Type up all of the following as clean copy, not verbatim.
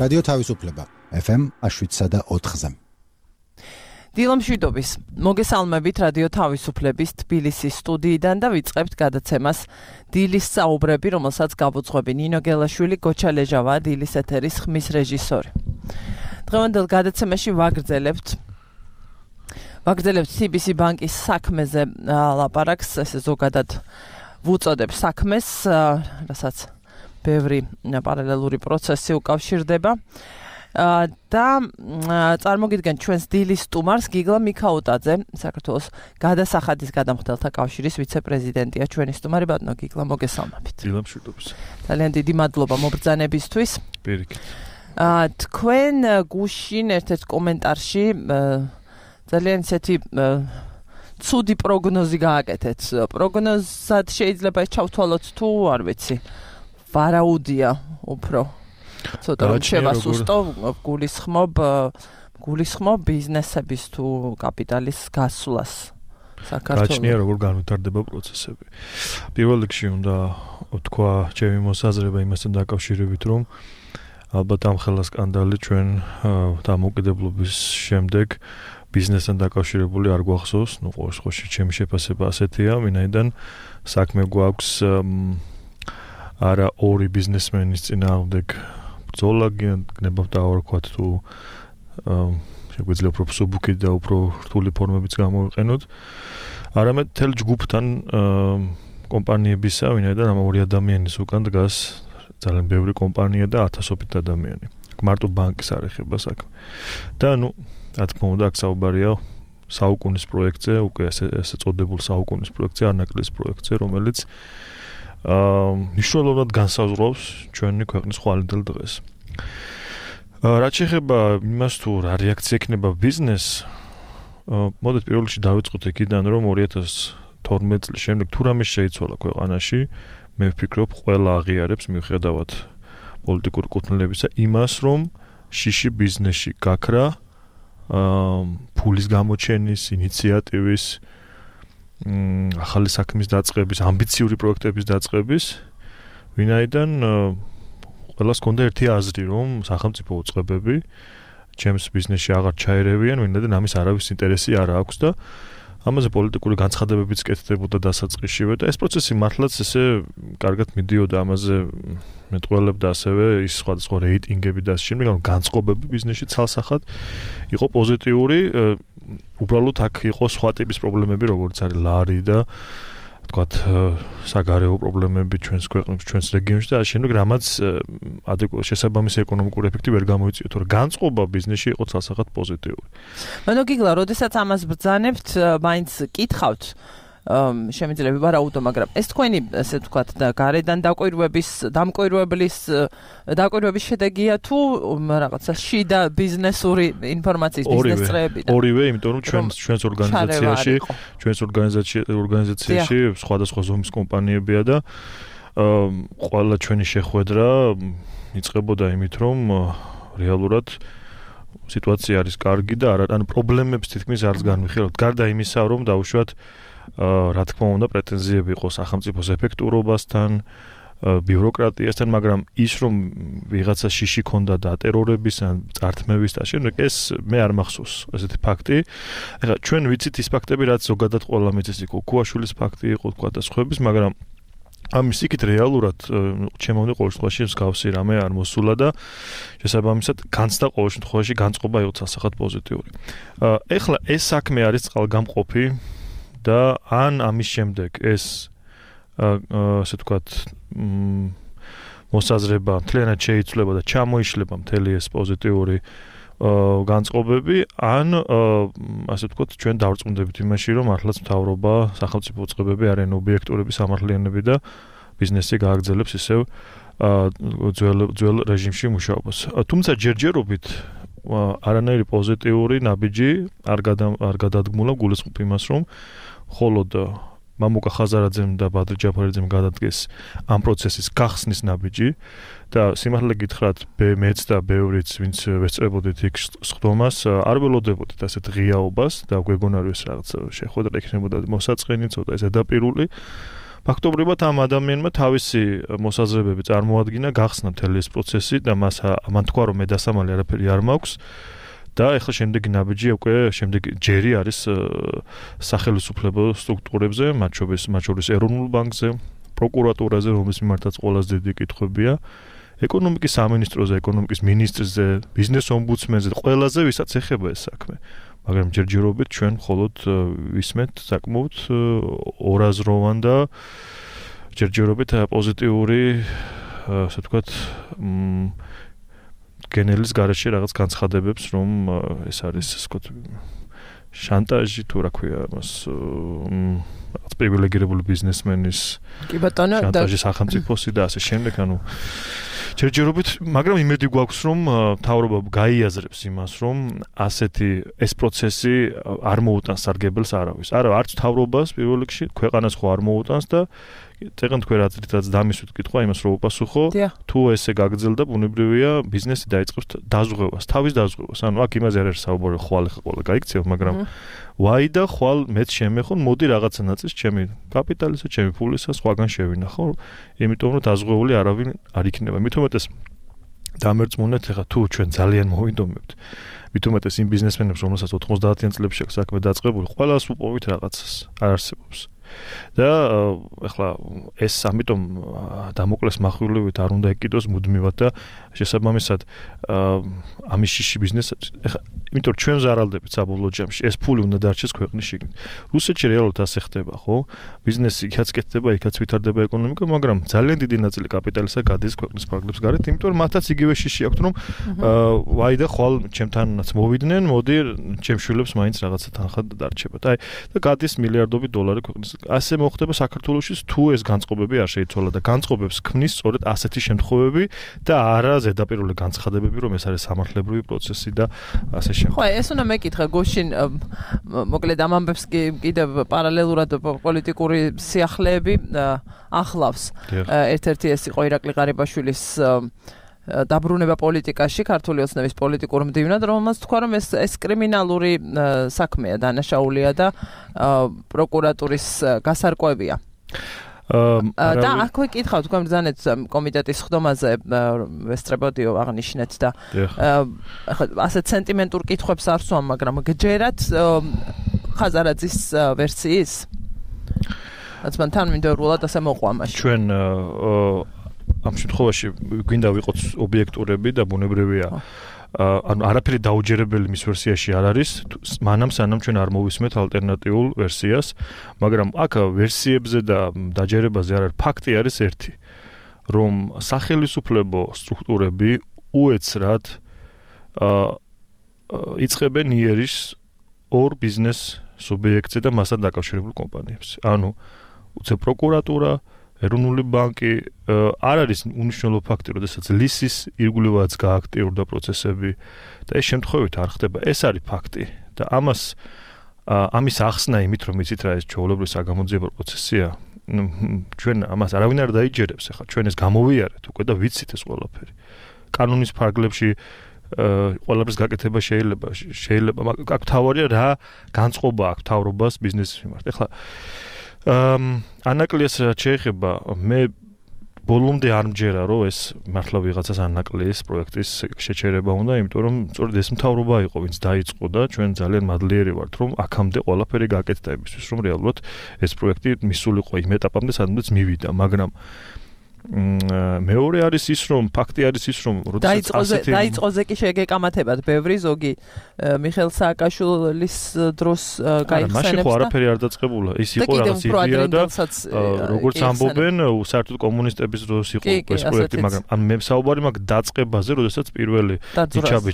რადიო თავისუფლება FM 7.4-ზე. დილომშვიდობის მოგესალმებით რადიო თავისუფლების თბილისის სტუდიიდან და ვიწყებთ გადაცემას დილის საუბრები, რომელსაც გავუძღვები ნინო გელაშვილი, გოჩა ლეჟავა, დილის ეთერის ხმის რეჟისორი. დღევანდელ გადაცემაში ვაგრძელებთ CBC ბანკის საქმეზე ლაპარაკს, ესე ზოგადად ვუწოდებ საქმეს, რასაც ბევრი პარალელური პროცესი უკავშირდება. და წარმოგიდგენ ჩვენს დილის სტუმარს გიგლა მიქაუტაძე, საქართველოს გადასახადის გადამხდელთა კავშირის ვიცე-პრეზიდენტია. ჩვენი სტუმარი ბატონო გიგლა, მოგესალმებით. დილამშვიდობის. ძალიან დიდი მადლობა მობრძანებისთვის. პირიქით. თქვენ გუშინ ერთ-ერთ კომენტარში ძალიან ისეთი ცუდი პროგნოზი გააკეთეთ. პროგნოზად შეიძლება ეს ჩავთვალოთ თუ არ ვიცი. ვარაუდია უფრო. ცოტა შევასუსტო, გულისხმობ ბიზნესების თუ კაპიტალის გასვლას საქართველოს. გაჩნია როგორ განვითარდება პროცესები. პირველ რიგში უნდა ვთქვა ჩემი მოსაზრება იმასთან დაკავშირებით, რომ ალბათ ამ ხელა სკანდალი ჩვენ დამოუკიდებლობის შემდეგ ბიზნესთან დაკავშირებული არ გვახსოვს. ყოველ შემთხვევაში ჩემი შეფასება ასეთია, ვინაიდან საქმე გვაქვს არა ორი ბიზნესმენის წინააღმდეგ ბრძოლა გნებავთ დავარქვათ თუ შეგვიძლია უფრო სუბუქი და უფრო რთული ფორმებიც გამოვიყენოთ. არამედ მთელ ჯგუფთან კომპანიებისა, ვინაიდან ამ ორი ადამიანის უკან დგას ძალიან ბევრი კომპანია და ათასობით ადამიანი. მარტო ბანკის არ ეხება საქმე. და რა თქმა უნდა, აქ საუბარია საუკუნის პროექტზე, უკვე ესე წოდებულ საუკუნის პროექტზე, არნაკლის პროექტზე, რომელიც მნიშვნელოვნად განსაზღვრავს ჩვენი ქვეყნის ხვალინდელ დღეს. რაც შეეხება იმას თუ რა რეაქცია ექნება ბიზნესს, მოდით პირველ რიგში დავიწყოთ იქიდან, რომ 2012 წლის შემდეგ თუ რამე შეიცვალა ქვეყანაში, მე ვფიქრობ, ყველა აღიარებს მიუხედავად პოლიტიკური კუთვნილებისა იმას, რომ შიში ბიზნესში გაქრა, ფულის გამოჩენის, ინიციატივის, ახალი საქმის დაწყების, ამბიციური პროექტების დაწყების, ვინაიდან ყველას ჰქონდა ერთი აზრი, რომ სახელმწიფო უწყებები ჩემს ბიზნესში აღარ ჩაერევიან, ვინაიდან ამის არავის ინტერესი არ აქვს და ამაზე პოლიტიკური განცხადებებიც კეთდებოდა დასაწყისშივე და ეს პროცესი მართლაც ესე კარგად მიდიოდა, ამაზე მეტყველებდა ასევე ის სხვადასხვა რეიტინგები და ასე შემდეგ, განწყობები ბიზნესში ცალსახად იყო პოზიტიური. უბრალოდ აქ იყო სხვა ტიპის პრობლემები, როგორც არის ლარი და თქვათ საგარეო პრობლემები ჩვენს ქვეყნებში, ჩვენს რეგიონში და ასე შემდეგ, რამაც შესაბამისი ეკონომიკური ეფექტი ვერ გამოიწვია, თორე განწყობა ბიზნესში იყო ცალსახად პოზიტიური. ბატონო გიგლა, როდესაც ამას ბრძანებთ, მაინც კითხავთ, შემიძლია ვარაუდო, მაგრამ ეს თქვენი, ესე ვთქვათ, გარედან დამკვირვებლის შედეგია თუ რაღაცა შიდა ბიზნესური ინფორმაციის ბიზნეს წრეებიდან? ორივე, იმიტომ რომ ჩვენს ორგანიზაციაში სხვადასხვა ზომის კომპანიებია და ყველა ჩვენი შეხვედრა იწყებოდა იმით, რომ რეალურად სიტუაცია არის კარგი და ან პრობლემებს თითქმის არც განვიხილავთ. გარდა იმისა, რომ დაუშვათ რა თქმა უნდა პრეტენზიები იყო სახელმწიფოს ეფექტურობასთან, ბიუროკრატიასთან, მაგრამ ის რომ ვიღაცა შიში ქონდა დატერორების ან წართმევის და შემდეგ ეს მე არ მახსოვს ესეთი ფაქტი. ეხლა ჩვენ ვიცით ის ფაქტები, რაც ზოგადად ყველა მიწის იყო, ქუაშვილის ფაქტი იყო თქვა და სხვების, მაგრამ ამის იქით რეალურად ჩემამდე ყოველ შემთხვევაში მსგავსი რამე არ მოსულა და შესაბამისად განცდა ყოველ შემთხვევაში განწყობა იყო ცალსახად პოზიტიური. ეხლა ეს საქმე არის წყალგამყოფი და ან ამის შემდეგ ეს ასე ვთქვათ მოსაზრება მთლიანად შეიცვლება და ჩამოიშლება მთელი ეს პოზიტიური განწყობები, ან ასე ვთქვათ ჩვენ დავრწმუნდებით იმაში, რომ მართლაც მთავრობა, სახელმწიფო უწყებები არიან ობიექტურები, სამართლიანები და ბიზნესი გააგრძელებს ისევ ძველ რეჟიმში მუშაობას. თუმცა ჯერჯერობით არანაირი პოზიტიური ნაბიჯი არ გადადგმულა გულისხმობ იმას, რომ ხოლოდ მამუკა ხაზარაძემ და ბადრი ჯაფარიძემ გადადგეს ამ პროცესის გახსნის ნაბიჯი და სიმართლე გითხრათ, მეც და ბევრიც, ვინც ვესწრებოდით იქ სხდომას, არ ველოდებოდით ასეთ ღიაობას და გვეგონა რომ ეს რაღაც შეხვედრა იქნებოდა მოსაწყენი, ცოტა ეს ზედაპირული, ფაქტობრივად ამ ადამიანმა თავისი მოსაზრებები წარმოადგინა, გახსნა მთელი ეს პროცესი და მან თქვა რომ მე დასამალი არაფერი არ მაქვს და ეხლა შემდეგი ნაბიჯი უკვე შემდეგი ჯერი არის სახელმწიფო სტრუქტურებზე, მათ შორის ეროვნულ ბანკზე, პროკურატურაზე, რომლის მიმართაც ყველაზე დიდი კითხვებია, ეკონომიკის სამინისტროზე, ეკონომიკის მინისტრზე, ბიზნეს ომბუდსმენზე, ყველაზე ვისაც ეხება ეს საქმე. მაგრამ ჯერჯერობით ჩვენ მხოლოდ ვისმენთ საკმაოდ ორაზროვან და ჯერჯერობით პოზიტიური, ასე ვთქვათ, გენელის გარეშე რაღაც განცხადებებს, რომ ეს არის, ასე ვთქვათ, შანტაჟი თუ რა ქვია მას, რაღაც პრივილეგირებული ბიზნესმენის შანტაჟი სახელმწიფოსი და ასე შემდეგ, ანუ ჯერჯერობით, მაგრამ იმედი გვაქვს, რომ მთავრობა გაიაზრებს იმას, რომ ასეთი ეს პროცესი არ მოუტანს სარგებელს არავის. არა, არც მთავრობას პირველ რიგში, ქვეყანას ხო არ მოუტანს და წეგან თქვენ რაც დამისვით კითხვა იმას რომ უპასუხო, თუ ესე გაგრძელდა, ბუნებრივია ბიზნესი დაიწყებს დაზღვევას, თავის დაზღვევას. ანუ აქ იმაზე არ არის საუბარი, ხვალ ეხა ყველა გაიქცევ, მაგრამ ვაი და ხვალ მეც შემეხონ, მოდი რაღაცა ნაწილს ჩემი კაპიტალისა, ჩემი ფულისა სხვაგან შევინახო, იმიტომ რომ დაზღვეული არავინ არ იქნება. მithumetes დამერწმუნეთ ეხა თუ ჩვენ ძალიან მოვინდომებთ. მithumetes იმ ბიზნესმენებს, რომელსაც 90-იან წლებში აქვს საქმე დაწყებული, ყველას უპოვით რაღაცას, არ არსებობს. და ეხლა ეს ამიტომ დამოკლეს מחვილივით არ უნდა ეკიდოს მუდმივად და შესაბამისად ამის შიში ბიზნესებს ეხლა იმიტომ ჩვენ ზარალდებით საბოლოო ჯამში ეს ფული უნდა დარჩეს ქვეყნის შიგნით. რუსეთში რეალურად ასე ხდება, ხო? ბიზნესი იქაც კეთდება, იქაც ვითარდება ეკონომიკა, მაგრამ ძალიან დიდი ნაწილი კაპიტალისა გადის ქვეყნის ფარგლებს გარეთ, იმიტომ რომ მათაც იგივე შიში აქვთ, რომ ვაი და ხვალ ჩემთანაც მოვიდნენ, მოდი ჩემ შვილებს მაინც რაღაცა თანხა დარჩებათ. აი და გადის მილიარდობით დოლარი ქვეყნის. ასე მოხდება საქართველოში, თუ ეს განწყობები არ შეიცვალა და განწყობებს ქმნის სწორედ ასეთი შემთხვევები და არა ზედაპირული განცხადებები, რომ ეს არის სამართლებრივი პროცესი და ასე შემთხვევები. ხო, ეს უნდა მეკითხა გუშინ, მოკლედ ამ ამბებს კიდევ პარალელურად პოლიტიკური სიახლეები ახლავს. ერთ-ერთი ეს იყო ირაკლი ღარიბაშვილის დაბრუნება პოლიტიკაში, ქართული ოცნების პოლიტიკურ მდივნად, რომელმაც თქვა, რომ ეს კრიმინალური საქმეა, დანაშაულია და პროკურატურის გასარკვევია. და აქვე კითხავ თქვენ ბრძანეთ კომიტეტის ხდომაზე ვესწრებოდიო აღნიშნეთ და ასე სენტიმენტურ კითხვებს არ სვამ, მაგრამ გჯერათ ხაზარაძის ვერსიის? რაც მან თან მინდორულად ასე მოყვა მაშინ. ჩვენ ამ შემთხვევაში გვინდა ვიყოთ ობიექტურები და ბუნებრივია ანუ არაფერი დაუჯერებელი მის ვერსიაში არ არის, მანამ სანამ ჩვენ არ მოვისმენთ ალტერნატიულ ვერსიას, მაგრამ აქ ვერსიებზე და დაჯერებაზე არ არის, ფაქტი არის ერთი, რომ სახელმწიფო სტრუქტურები უეცრად იწყებენ იერიშს ორ ბიზნეს სუბიექტზე და მასთან დაკავშირებულ კომპანიებს. ანუ უცებ პროკურატურა, ეროვნული ბანკი არ არის უნიშნელო ფაქტი, როდესაც ლისის ირგვლივაც გააქტიურდა პროცესები და ეს შემთხვევით არ ხდება. ეს არის ფაქტი და ამის ახსნა იმით, რომ იცით რა ეს ჩვეულებრივი საგამოძიებო პროცესია, ჩვენ ამას არავინ არ დაიჯერებს. ახლა ჩვენ ეს გამოვიარეთ უკვე და ვიცით ეს ყველაფერი. კანონის ფარგლებში ყველაფრის გაკეთება შეიძლება, მაგრამ აქ თავარია რა განწყობა აქვს თავრობას ბიზნესის მიმართ. ახლა ანაკლიეს შეეხება, მე ბოლომდე არ მჯერა, რომ ეს მართლა ვიღაცას ანაკლიეს პროექტის შეჩერება უნდა, იმიტომ რომ სწორედ ეს მთავრობა იყო, ვინც დაიწყო და ჩვენ ძალიან მადლიერი ვართ, რომ აქამდე ყველაფერი გაკეთდა იმისთვის, რომ რეალურად ეს პროექტი მისულიყო იმ ეტაპამდე, სადაც მივიდა, მაგრამ მეორე არის ის, რომ ფაქტი არის ის, რომ დაიწყოზე კი შეგეკამათებათ ბევრი ზოგი მიხეილ სააკაშვილის დროს გაიხსენებს. მაშინ ხო არაფერი არ დაწყებულა. ის იყო რაღაც იდეა და როგორც ამბობენ, საერთოდ კომუნისტების დროს იყო ეს პროექტი, მაგრამ მე საუბარი მაქვს დაწყებაზე, როდესაც პირველი დიჩაბი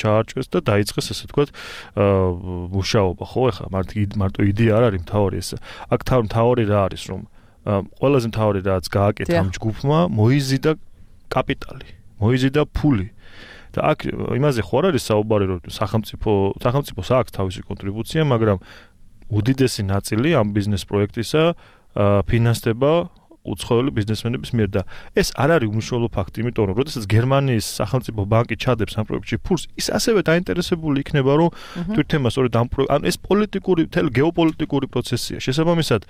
ჩაარჩეს და დაიწყეს ესე ვთქვათ მუშაობა, ხო? ეხლა მარტო იდეა არ არის მთავარი ეს. აქ მთავარი რა არის, რომ ყველაზე მთავარი რაც გააკეთა ამ ჯგუფმა, მოიზიდა კაპიტალი, მოიზიდა ფული. და აქ იმაზე ხო არ არის საუბარი, რომ სახელმწიფოს აქვს თავისი კონტრიბუცია, მაგრამ უდიდესი ნაწილი ამ ბიზნეს პროექტისა ფინანსდება უცხოელი ბიზნესმენების მიერ და ეს არ არის უმნიშვნელო ფაქტი, იმიტომ რომ როდესაც გერმანიის სახელმწიფო ბანკი ჩადებს ამ პროექტში ფულს, ის ასევე დაინტერესებული იქნება, რომ თვითონ სწორედ ანუ ეს პოლიტიკური, გეოპოლიტიკური პროცესია. შესაბამისად,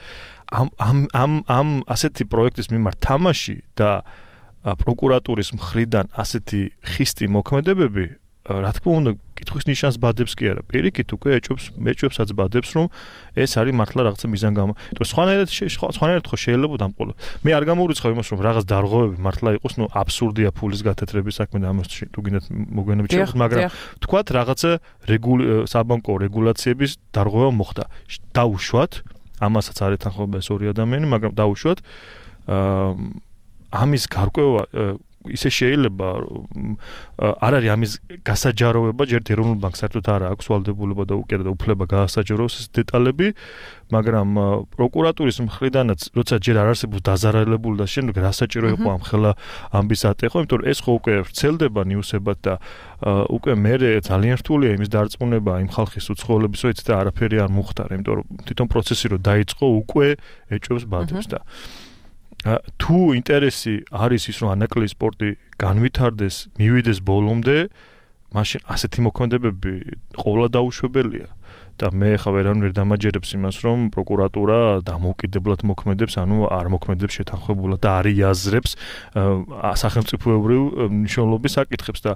ამ ასეთი პროექტის მიმართ თამაში და პროკურატურის მხრიდან ასეთი ხისტი მოქმედებები, რა თქმა უნდა, კითხვის ნიშანს ბადებს კი არა. პირიქით უკვე ეჭვებსაც ბადებს, რომ ეს არის მართლა რაღაცა მიზანგამო. სხვანაირად ხო შეიძლება დამყოლო. მე არ გამოვრიცხავ იმას, რომ რაღაც დარღვევები მართლა იყოს, აბსურდია ფულის გათეთრების საქმე და ამას თუ გინდათ მოგვიანებით შევხვდით, მაგრამ თქვათ რაღაცა საბანკო რეგულაციების დარღვევა მოხდა. დაუშვათ, ამასაც არ ეთანხმება ეს ორი ადამიანი, მაგრამ დაუშვათ ამის გარკვევა ისე შეიძლება არ არის ამის გასაჯაროვება, ჯერ ეროვნულ ბანკს საერთოდ არ აქვს ვალდებულება და უკეთ და უფლება გაასაჯაროს ეს დეტალები, მაგრამ პროკურატურის მხრიდანაც როცა ჯერ არ არსებობს დაზარალებული და შემდეგ რა საჭირო იყო ამ ხელა ამბის ატეხვა, იმიტომ რომ ეს ხო უკვე ვრცელდება ნიუსებად და უკვე მე ძალიან რთულია იმის დარწმუნება იმ ხალხის უცხოელების, რომ იცით არაფერი არ მოხდარა, იმიტომ რომ თვითონ პროცესი რო დაიწყო უკვე ეჭვებს ბადებს და თუ ინტერესი არის ის, რომ ანაკლიის სპორტი განვითარდეს, მივიდეს ბოლომდე, მაშინ ასეთი მოქმედებები ყოვლა დაუშვებელია. და მე ხა ვერავინ დამაჯერებს იმას, რომ პროკურატურა დამოუკიდებლად მოქმედებს, ანუ არ მოქმედებს შეთანხმებულად და არ იაზრებს სახელმწიფოებრივ მნიშვნელობის საკითხებს და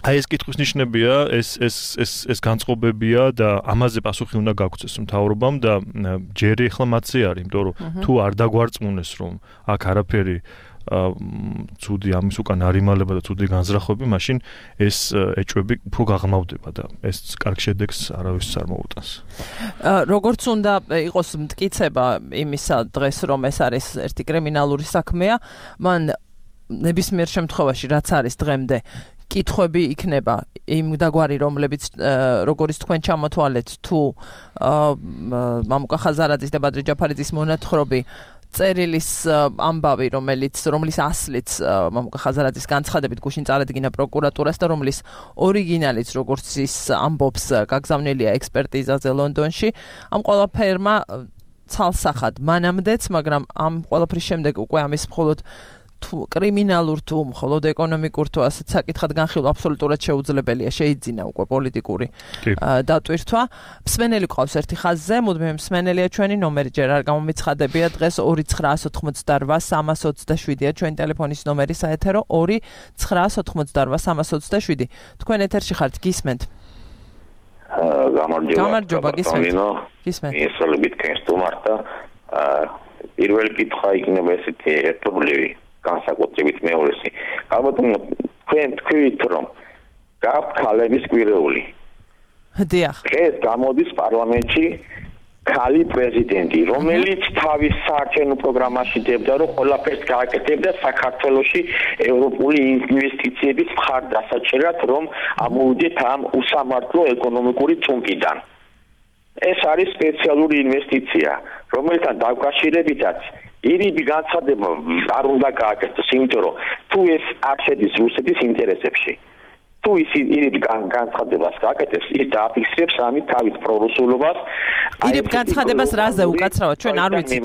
აი ეს კითხვის ნიშნებია, ეს განწყობებია და ამაზე პასუხი უნდა გაგვცეს მთავრობამ და ჯერი ახლა მათზე არის, იმიტომ რომ თუ არ დაგვარწმუნეს, რომ აქ არაფერი ცუდი ამის უკან არ იმალება და ცუდი განზრახვები, მაშინ ეს ეჭვები უფრო გაღრმავდება და ეს კარგ შედეგს არავის არ მოუტანს. როგორც უნდა იყოს მტკიცება იმისა დღეს, რომ ეს არის ერთი კრიმინალური საქმეა, მან ნებისმიერ შემთხვევაში რაც არის დღემდე კითხვები იქნება იმ დაგვარი, რომლებიც როგორც თქვენ ჩამოთვალეთ, თუ მამუკა ხაზარაძის და ბადრი ჯაფარიძის მონათხრობი წერილის ამბავი, რომლის ასლიც მამუკა ხაზარაძის განცხადებით გუშინ წარადგინა პროკურატურას და რომლის ორიგინალიც როგორც ის ამბობს გაგზავნილია ექსპერტიზაზე ლონდონში, ამ ყველაფერმა ცალსახად მანამდეც, მაგრამ ამ ყველაფრის შემდეგ უკვე ამის მხოლოდ თუ კრიმინალურ თუ მხოლოდ ეკონომიკურ თუ ასეთ საკითხად განხილვა აბსოლუტურად შეუძლებელია, შეიძინა უკვე პოლიტიკური დატვირთვა. მსმენელი ყავს ერთი ხაზზე, მუდმივი მსმენელია ჩვენი ნომერი ჯერ არ გამომიცხადებია დღეს 2988327-ია ჩვენი ტელეფონის ნომერი საეთერო 2988327. თქვენ ეთერში ხართ, გისმენთ? გამარჯობა, გისმენთ. ესალებით კენსტუმართა პირველი კითხვა იქნება ესეთი ერთობლივი განსაკუთრებით მეორესი. ალბათ თქვენ თქვით, რომ გაქვთ ქალების კვირეული. დიახ. ეს გამოდის პარლამენტში ქალი პრეზიდენტი, რომელიც თავის საარჩევნო პროგრამაში დებდა, რომ ყველაფერს გააკეთებდა საქართველოში ევროპული ინვესტიციების მხარდასაჭერად, რომ ამოვიდეთ ამ უსამართლო ეკონომიკური წუნკიდან. ეს არის სპეციალური ინვესტიცია, რომელთან დაკავშირებითაც ირიბი განცხადება არ უნდა გააკეთოს, იმიტომ რომ თუ ეს არ შედის რუსეთის ინტერესებში, თუ ის ირიბი განცხადებას გააკეთებს, ის დააფიქსირებს ამით თავის პრორუსულობას. ირიბ განცხადებას რაზე უკაცრავად ჩვენ არ ვიცით.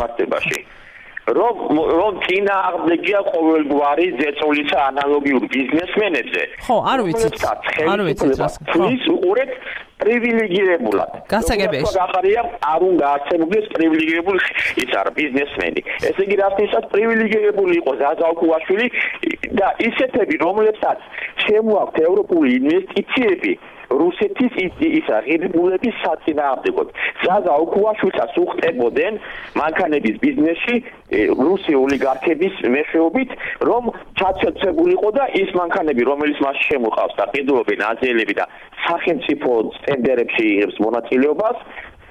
რომ წინააღმდეგია ყოველგვარი ზეწოლისა ანალოგიურ ბიზნესმენებზე. ხო, არ ვიცით. არ ვიცით რას. ის უყურეთ პრივილეგირებულად. გასაგებია. გახარია არ უნდა არსებობდეს პრივილეგირებული ის არა ბიზნესმენი. ესე იგი რასთვისაც პრივილეგირებული იყო ზაზა ოქუაშვილი და ისეთები, რომლებსაც შემოაქვთ ევროპული ინვესტიციები რუსეთის ის აღებულების საწინააღმდეგოდ. ზაზა ოქუაშვილსაც უხდებოდნენ მანქანების ბიზნესში რუსი ოლიგარქების მეშვეობით, რომ ჩაცეცებულიყო და ის მანქანები, რომელიც მას შემოყავს და ყიდულობენ აზიელები და სახელმწიფო ტენდერებში იღებს მონაწილეობას,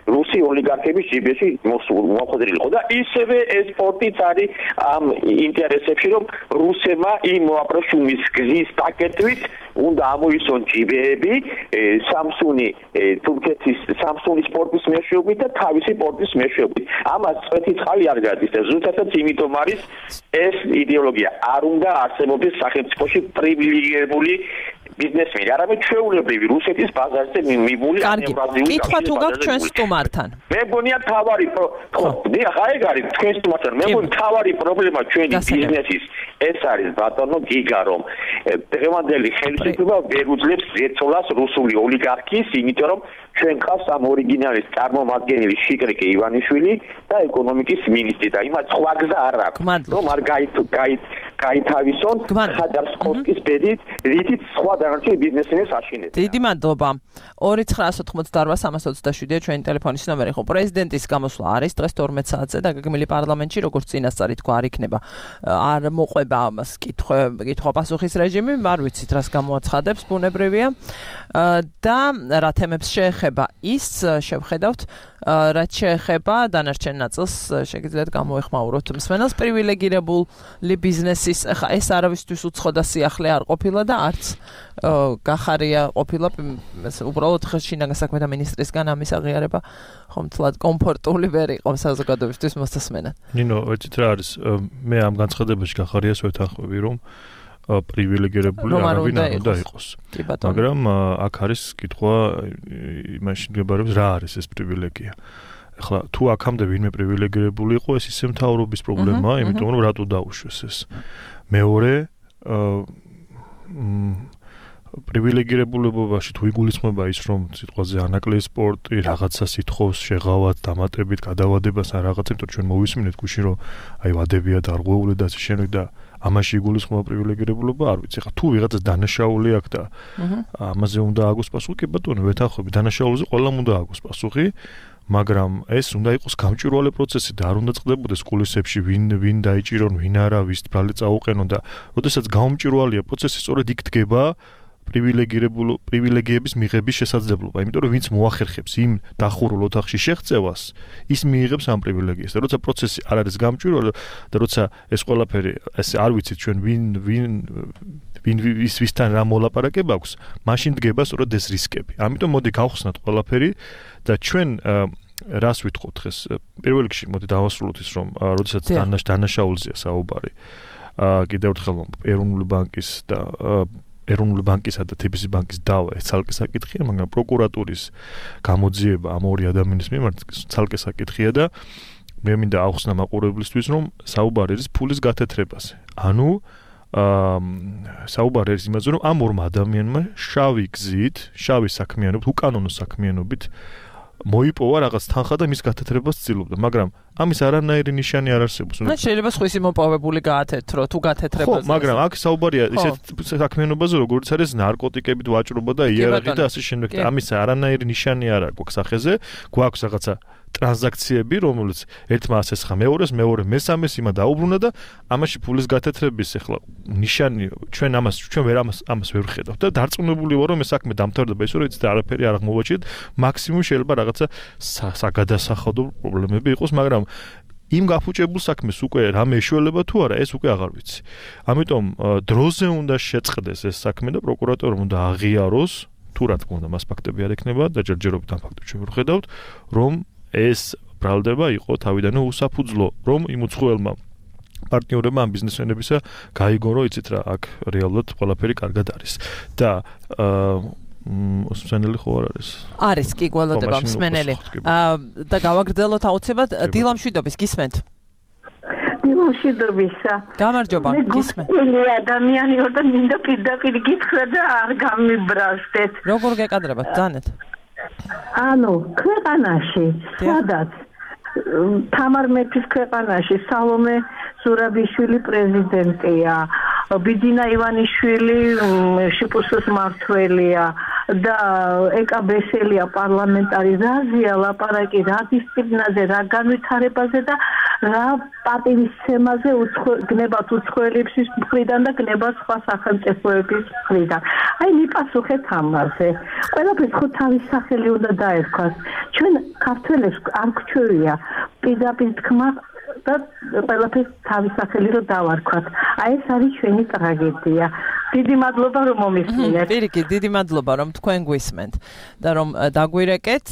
რუსი ოლიგარქების ჯიბეში მოხვედრილიყო და ისევე ეს სპორტიც არის ამ ინტერესებში, რომ რუსებმა იმ აბრეშუმის გზის პაკეტით უნდა ამოისონ ჯიბეები სამსუნი თურქეთის სამსუნი სპორტის მეშვეობით და თავისი სპორტის მეშვეობით. ამას წვეთი წყალი არ გადის და ზუსტადაც იმიტომ არის ეს იდეოლოგია. არ უნდა არსებობდეს სახელმწიფოში პრივილეგირებული ბიზნესმენი, არამედ ჩვეულებრივი რუსეთის ბაზარზე მიბული ევრაზიული კითხვა თუ გაქვს ჩვენ სტუმართან. მე მგონია თავარი ხო, დიახ, აი ეგ არის თქვენ სტუმართან. მე მგონი თავარი პრობლემა ჩვენი ბიზნესის ეს არის ბატონო გიგა რომ დღევანდელი ხელისუფლება ვერ უძლებს ზეცოლას რუსული ოლიგარქიის, იმიტომ რომ ჩვენ ყავს ამ ორიგინალის წარმომადგენელი შიკრიკე ივანიშვილი და ეკონომიკის მინისტრი და იმათ სხვა გზა არ აქვს რომ არ გაითავისონ ხაჯარსკოვსკის ბედით რითიც სხვა დანარჩენი ბიზნესმენებს აშინებს. დიდი მადლობა. 2988327 ჩვენი ტელეფონის ნომერი ხო პრეზიდენტის გამოსვლა არის დღეს 12 საათზე და გეგმილი პარლამენტში როგორც წინასწარი თქვა არ იქნება არ მოყვება ამას კითხვა-პასუხის რეჟიმი არ ვიცით რას გამოაცხადებს ბუნებრივია და რა თემებს შეეხება ის შევხედავთ რაც შეეხება დანარჩენ ნაწილს შეგიძლიათ გამოეხმაუროთ მსმენელს პრივილეგირებული ბიზნესის ხა ეს არავისთვის უცხო და სიახლე არ ყოფილა და არც გახარია ყოფილა უბრალოდ შინაგან საქმეთა მინისტრისგან ამის აღიარება ხომთლად კომფორტული ვერ იყო საზოგადოებისთვის მოსასმენად. ნინო, ეცით რა არის მე ამ განცხადებაში გახარიას ვეთანხმები რომ პრივილეგირებული არავინ არ უნდა იყოს. მაგრამ აქ არის კითხვა იმაში მდგებარეობს რა არის ეს პრივილეგია. ახლა თუ აქამდე ვინმე პრივილეგირებული იყო ეს ისე მთავრობის პრობლემაა, იმიტომ რომ რატო დაუშვეს ეს. მეორე პრივილეგირებულებობაში თუ იგულისხმება ის რომ სიტყვაზე ანაკლიის სპორტი რაღაცას ითხოვს შეღავად დამატებით გადავადებას ან რაღაცა, იმიტომ ჩვენ მოვისმინეთ გუშინ რომ აი ვადებია დარღვეული და ასე შემდეგ და ამაში იგულისხმება პრივილეგირებულობა არ ვიცი. ხა თუ ვიღაცას დანაშაული აქვს და ამაზე უნდა აგოს პასუხი, კი ბატონო, ვეთანხმები, დანაშაულზე ყველამ უნდა აგოს პასუხი, მაგრამ ეს უნდა იყოს გამჭვირვალე პროცესი და არ უნდა წყდებოდეს კულისებში ვინ დაიჭირონ, ვინ არა, ვის ბრალი წაუყენონ და როდესაც გამჭვირვალეა პროცესი, სწორედ იქ დგება პრივილეგიების მიღების შესაძლებლობა, იმიტომ რომ ვინც მოახერხებს იმ დახურულ ოთახში შეღწევას, ის მიიღებს ამ პრივილეგიას. და როცა პროცესი არ არის გამჭვირვალე და როცა ეს ყველაფერი ესე არ ვიცით ჩვენ ვისთან რა მოლაპარაკება აქვს, მაშინ დგება სწორედ ეს რისკები. ამიტომ მოდი გავხსნათ ყველაფერი და ჩვენ რას ვითხოვთ დღეს? პირველ რიგში მოდი დავასრულოთ ის რომ როდესაც დანაშაულზეა საუბარი. კიდევ ერთხელ ეროვნული ბანკის და ეროვნული ბანკისა და TBC ბანკის დავა ეს ცალკე საკითხია, მაგრამ პროკურატურის გამოძიება ამ ორი ადამიანის მიმართ ცალკე საკითხია და მე მინდა ავხსნა მაყურებლისთვის რომ საუბარი არის ფულის გათეთრებაზე. ანუ საუბარი არის იმაზე რომ ამ ორმა ადამიანმა შავი გზით, შავი საქმიანობით, უკანონო საქმიანობით მოიპოვა რაღაც თანხა და მის გათეთრებას ცდილობდა, მაგრამ ამის არანაირი ნიშანი არ არსებობს. და შეიძლება სხვისი მოპოვებული გაათეთრო, თუ გათეთრებაზე. ხო, მაგრამ აქ საუბარია ისეთ საქმიანობაზე, როგორც არის ნარკოტიკებით ვაჭრობა და იარაღი და ასე შემდეგ. ამის არანაირი ნიშანი არ აქვს სახეზე, გვაქვს რაღაცა ტრანზაქციები, რომელიც ერთმა ასესხა მეორეს, მეორე მესამეს იმა დაუბრუნა და ამაში ფულის გათეთრების ახლა ნიშანი ჩვენ ამას ვერ ვხედავთ და დარწმუნებული ვარ რომ ეს საქმე დამთავრდება ისე რომ იცით არაფერი არ აღმოვაჩინეთ, მაქსიმუმ შეიძლება რაღაცა საგადასახადო პრობლემები იყოს, მაგრამ იმ გაფუჭებულ საქმეს უკვე რამე ეშველება თუ არა, ეს უკვე აღარ ვიცი. ამიტომ დროზე უნდა შეწყდეს ეს საქმე და პროკურატორმა უნდა აღიაროს, თუ რა თქმა უნდა მას ფაქტები არ ექნება და ჯერჯერობით ამ ფაქტებს ჩვენ ვხედავთ, რომ ეს ბრალდება იყო თავიდანვე უსაფუძვლო, რომ იმ უცხოელმა პარტნიორებმა ამ ბიზნესმენებისა გაიგონ, რომ იცით რა, აქ რეალურად ყველაფერი კარგად არის. და მსმენელი ხო არ არის? არის, კი, გველოდება მსმენელი. და გავაგრძელოთ აუცილებლად დილამშვიდობის გისმენთ. დილამშვიდობისა. გამარჯობა, გისმენთ. ადამიანი ვარ და მინდა პირდაპირ გითხრა და არ გამიბრაზდეთ. როგორ გეკადრებათ, ძანეთ? ანუ ქვეყანაში, სადაც თამარ მეფის ქვეყანაში სალომე ზურაბიშვილი პრეზიდენტია, ბიძინა ივანიშვილი შპს მმართველია და ეკა ბესელია პარლამენტარიზაცია, ლაპარაკი რა დისციპლინაზე, რა განვითარებაზე და რა პატივისცემაზე გნებათ უცხოელების მხრიდან და გნებათ სხვა სახელმწიფოების მხრიდან. აი მიპასუხეთ ამაზე. ყველაფერს ხო თავის სახელი უნდა დაერქვას. ჩვენ ქართველებს არ გვჩვევია პირდაპირ თქმა და ყველაფერს თავის სახელი რომ დავარქვათ. აი ეს არის ჩვენი ტრაგედია. დიდი მადლობა რომ მომისმინეთ. პირიქით, დიდი მადლობა რომ თქვენ გვისმენთ და რომ დაგვირეკეთ,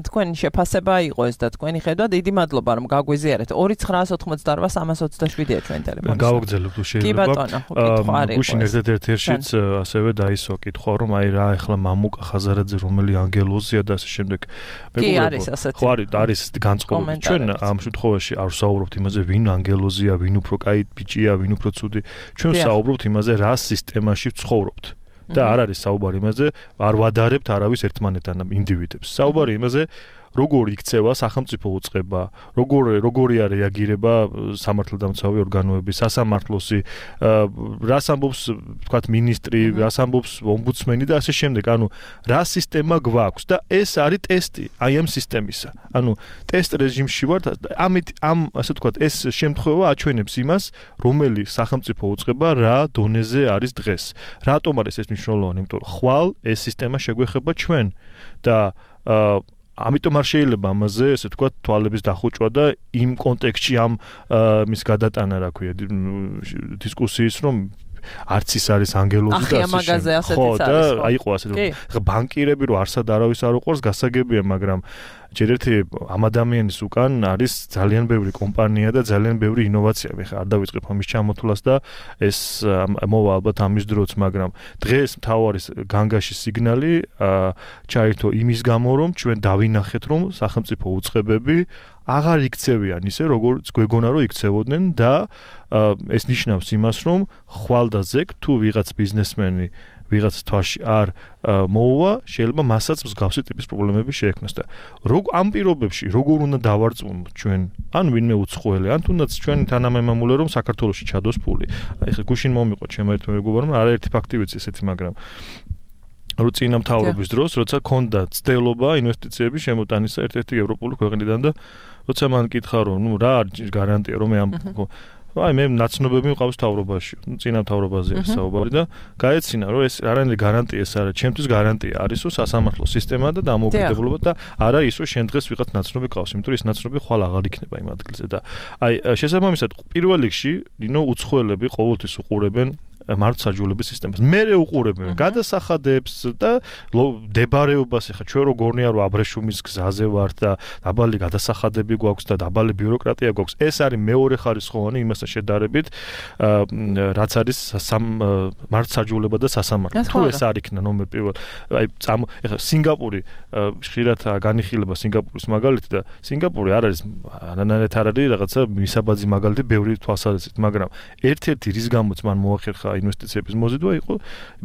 თქვენი შეფასება იყო ეს და თქვენი ხედვა, დიდი მადლობა რომ გაგვიზიარეთ. 2988-327-ია ჩვენ ტელეფონი. გავაგრძელებთ შეიძლება. კი ბატონო, კითხვა არის. გუშინ ერთ-ერთშიც ასევე დაისვა კითხვა რომ აი რა ახლა მამუკა ხაზარაძე რომელი ანგელოზია და ასე შემდეგ. კი არის ასეთი. ხო არის განწყობილი. ჩვენ ამ შემთხვევაში არ ვსაუბრობთ იმაზე ვინ ანგელოზია, ვინ უფრო კაი ბიჭია, ვინ უფრო ცუდი. ჩვენ ვსაუბრობთ იმაზე რა სისტემაში ვცხოვრობთ. და არ არის საუბარი იმაზე, არ ვადარებთ არავის ერთმანეთთან ინდივიდებს. საუბარი იმაზე როგორ იქცევა სახელმწიფო უწყება, როგორია რეაგირება სამართალდამცავი ორგანოები, სასამართლოსი, რას ამბობს, თქვათ, მინისტრი, რას ამბობს ომბუდსმენი და ასე შემდეგ. ანუ რა სისტემა გვაქვს და ეს არის ტესტი აი ამ სისტემისა. ანუ ტესტ რეჟიმში ვართ, ამ ასე თქვათ, ეს შემთხვევა აჩვენებს იმას, რომელი სახელმწიფო უწყება რა დონეზე არის დღეს. რატომ არის ეს მნიშვნელოვანი? იმიტომ რომ ხვალ ეს სისტემა შეგვეხება ჩვენ და ამიტომ არ შეიძლება ამაზე, ესე ვთქვათ, თვალების დახუჭვა და იმ კონტექსტში ამ მის გადატანა, რა ქვია, დისკუსიის, რომ არც ის არის ანგელოზი და ასე. ხო, და აიყო ასე რომ ბანკირები რო არსად არავის არ უყურს, გასაგებია, მაგრამ ჯერ ერთი ამ ადამიანის უკან არის ძალიან ბევრი კომპანია და ძალიან ბევრი ინოვაცია. მე ხა არ დავიწყებ ამის ჩამოთვლას და ეს მოვა ალბათ ამის დროც, მაგრამ დღეს მთავარი განგაში სიგნალი ჩაირთო იმის გამო, რომ ჩვენ დავინახეთ, რომ სახელმწიფო უწყებები აღარ იქცევიან ისე, როგორც გვეგონა რომ იქცევოდნენ და ეს ნიშნავს იმას, რომ ხვალ და ზეგ თუ ვიღაც ბიზნესმენი ვიღაც თვაში არ მოუვა, შეიძლება მასაც მსგავსი ტიპის პრობლემები შეექმნას და ამ პირობებში როგორ უნდა დავარწმუნოთ ჩვენ, ან ვინმე უცხოელი, ან თუნდაც ჩვენი თანამემამულე რომ საქართველოში ჩადოს ფული. აი ხა გუშინ მომიყვა ჩემო ერთ მეგობარმა, არაერთი ფაქტი ვიცი ესეთი, მაგრამ რო წინა მთავრობის დროს, როცა ქონდა ცდელობა ინვესტიციების შემოტანისა ერთ-ერთი ევროპული ქვეყნიდან და როცა მან კითხა რომ ნუ რა არის გარანტია რომ მე ამ აი მე ნაცნობები მყავს თავრობაში, წინა თავრობაზე არის საუბარი და გაეცინა რომ ეს არანაირი გარანტია ეს არა, ჩემთვის გარანტია არის რომ სასამართლო სისტემა და დამოუკიდებლობა და არა ის რომ შენ დღეს ვიღაც ნაცნობი ყავს, იმიტომ რომ ეს ნაცნობი ხვალ აღარ იქნება იმ ადგილზე და აი შესაბამისად პირველ რიგში უცხოელები ყოველთვის უყურებენ მართლმსაჯულების სისტემას. მერე უყურებენ გადასახადებს და დებარეობას, ეხა ჩვენ რო გორნია რომ აბრეშუმის გზაზე ვართ და დაბალი გადასახადები გვაქვს და დაბალი ბიუროკრატია გვაქვს. ეს არის მეორე ხარისხოვანი იმასთან შედარებით, რაც არის მართლმსაჯულება და სასამართლო. თუ ეს არ იქნა ნომერ პირველ, აი ეხა სინგაპური ხშირად განიხილება სინგაპურის მაგალითი და სინგაპური არ არის არანაირად არ არის რაღაცა მისაბაძი მაგალითი ბევრი თვალსაზრისით, მაგრამ ერთ-ერთი რის გამოც მან მოახერხა ინვესტიციების მოზიდვა იყო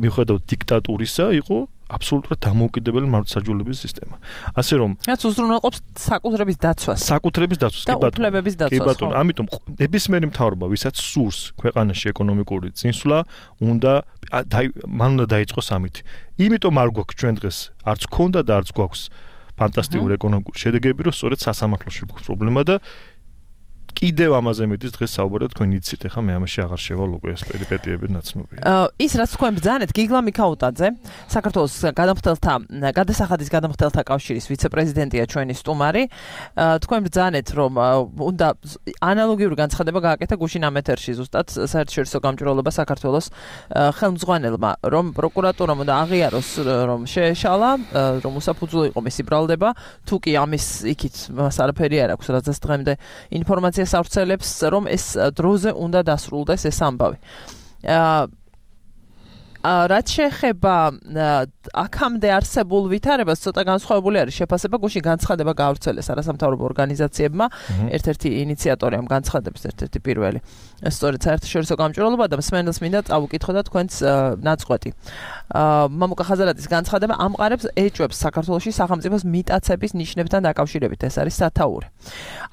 მიუხედავად დიქტატურისა, იყო აბსოლუტურად დამოუკიდებელი მართლმსაჯულების სისტემა. ასე რომ რაც უზრუნველყოფს საკუთრების დაცვას. საკუთრების დაცვას, კი ბატონო. უფლებების დაცვას. კი ბატონო, ამიტომ ნებისმიერი მთავრობა, ვისაც სურს ქვეყანაში ეკონომიკური წინსვლა, მან უნდა დაიწყოს ამით. იმიტომ არ გვაქვს ჩვენ დღეს, არც ქონდა და არც გვაქვს ფანტასტიკური ეკონომიკური შედეგები, რომ სწორედ სასამართლოში გვაქვს პრობლემა და კიდევ ამაზე მეტის დღეს საუბარად თქვენ იცით, ახლა მე ამაში აღარ შევალ უკვე ეს პერიპეტიები ნაცნობია. ის რაც თქვენ ბრძანეთ გიგლა მიქაუტაძე, საქართველოს გადასახადის გადამხდელთა კავშირის ვიცე-პრეზიდენტია ჩვენი სტუმარი. თქვენ ბრძანეთ, რომ უნდა ანალოგიური განცხადება გააკეთა გუშინ ამ ეთერში ზუსტად საერთაშორისო გამჭვირვალობა საქართველოს ხელმძღვანელმა, რომ პროკურატურამ უნდა აღიაროს, რომ შეეშალა, რომ უსაფუძვლო იყო მისი ბრალდება, თუ კი ამის იქით მას არაფერი არ აქვს, რაც დღემდე ინფორმაცია სავრცელებს, რომ ეს დროზე უნდა დასრულდეს ეს ამბავი. რაც შეეხება აქამდე არსებულ ვითარებას, ცოტა განსხვავებული არის შეფასება. გუშინ განცხადება გაავრცელეს არასამთავრობო ორგანიზაციებმა, ერთ-ერთი ინიციატორი ამ განცხადების, ერთ-ერთი პირველი. სწორედ საერთაშორისო გამჭვირვალობა და მსმენელს მინდა წავუკითხოთ თქვენს ნაწყვეტი. მამუკა ხაზარაძის განცხადება ამყარებს ეჭვებს საქართველოში სახელმწიფოს მიტაცების ნიშნებთან დაკავშირებით. ეს არის სათაური.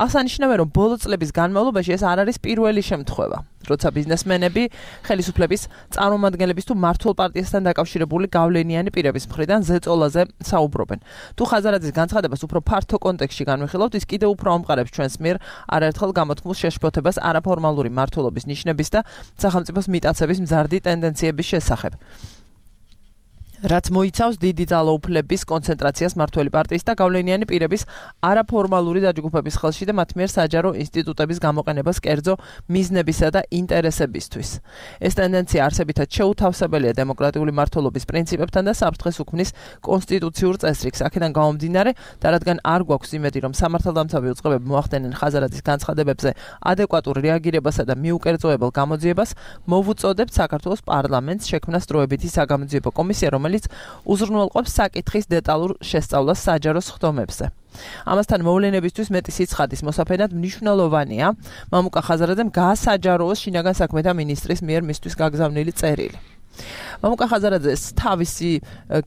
აღსანიშნავია, რომ ბოლო წლების განმავლობაში ეს არ არის პირველი შემთხვევა, როცა ბიზნესმენები ხელისუფლების წარმომადგენლების თუ მართლ პარტიასთან დაკავშირებული გავლენიანი პირების მხრიდან ზეწოლაზე საუბრობენ. თუ ხაზარაძის განცხადებას უფრო ფართო კონტექსტში განვიხილავთ, ის კიდევ უფრო ამყარებს ჩვენს მიერ არაერთხელ გამოთქმულ შეშფოთებას არაფორმალური მმართველობის ნიშნების და სახელმწიფოს მიტაცების მზარდი ტენდენციების შესახებ. რაც მოიცავს დიდი ძალაუფლების კონცენტრაციას მმართველი პარტიის და გავლენიანი პირების არაფორმალური დაჯგუფების ხელში და მათ მიერ საჯარო ინსტიტუტების გამოყენებას კერძო მიზნებისა და ინტერესებისთვის. ეს ტენდენცია არსებითად შეუთავსებელია დემოკრატიული მმართველობის პრინციპებთან და საფრთხეს უქმნის კონსტიტუციურ წესრიგს. აქედან გამომდინარე და რადგან არ გვაქვს იმედი, რომ სამართალდამცავი უწყებები მოახდენენ ხაზარაძის განცხადებებზე ადეკვატურ რეაგირებასა და მიუკერძოებელ გამოძიებას, მოვუწოდებთ საქართველოს პარლამენტს შექმნას დროებითი საგამოძიებო კომისია, რომელიც უზრუნველყოფს საკითხის დეტალურ შესწავლას საჯარო სხდომებზე. ამასთან მოვლენებისთვის მეტი სიცხადის მოსაფენად მნიშვნელოვანია მამუკა ხაზარაძემ გაასაჯაროოს შინაგან საქმეთა მინისტრის მიერ მისთვის გაგზავნილი წერილი. მამუკა ხაზარაძეს თავისი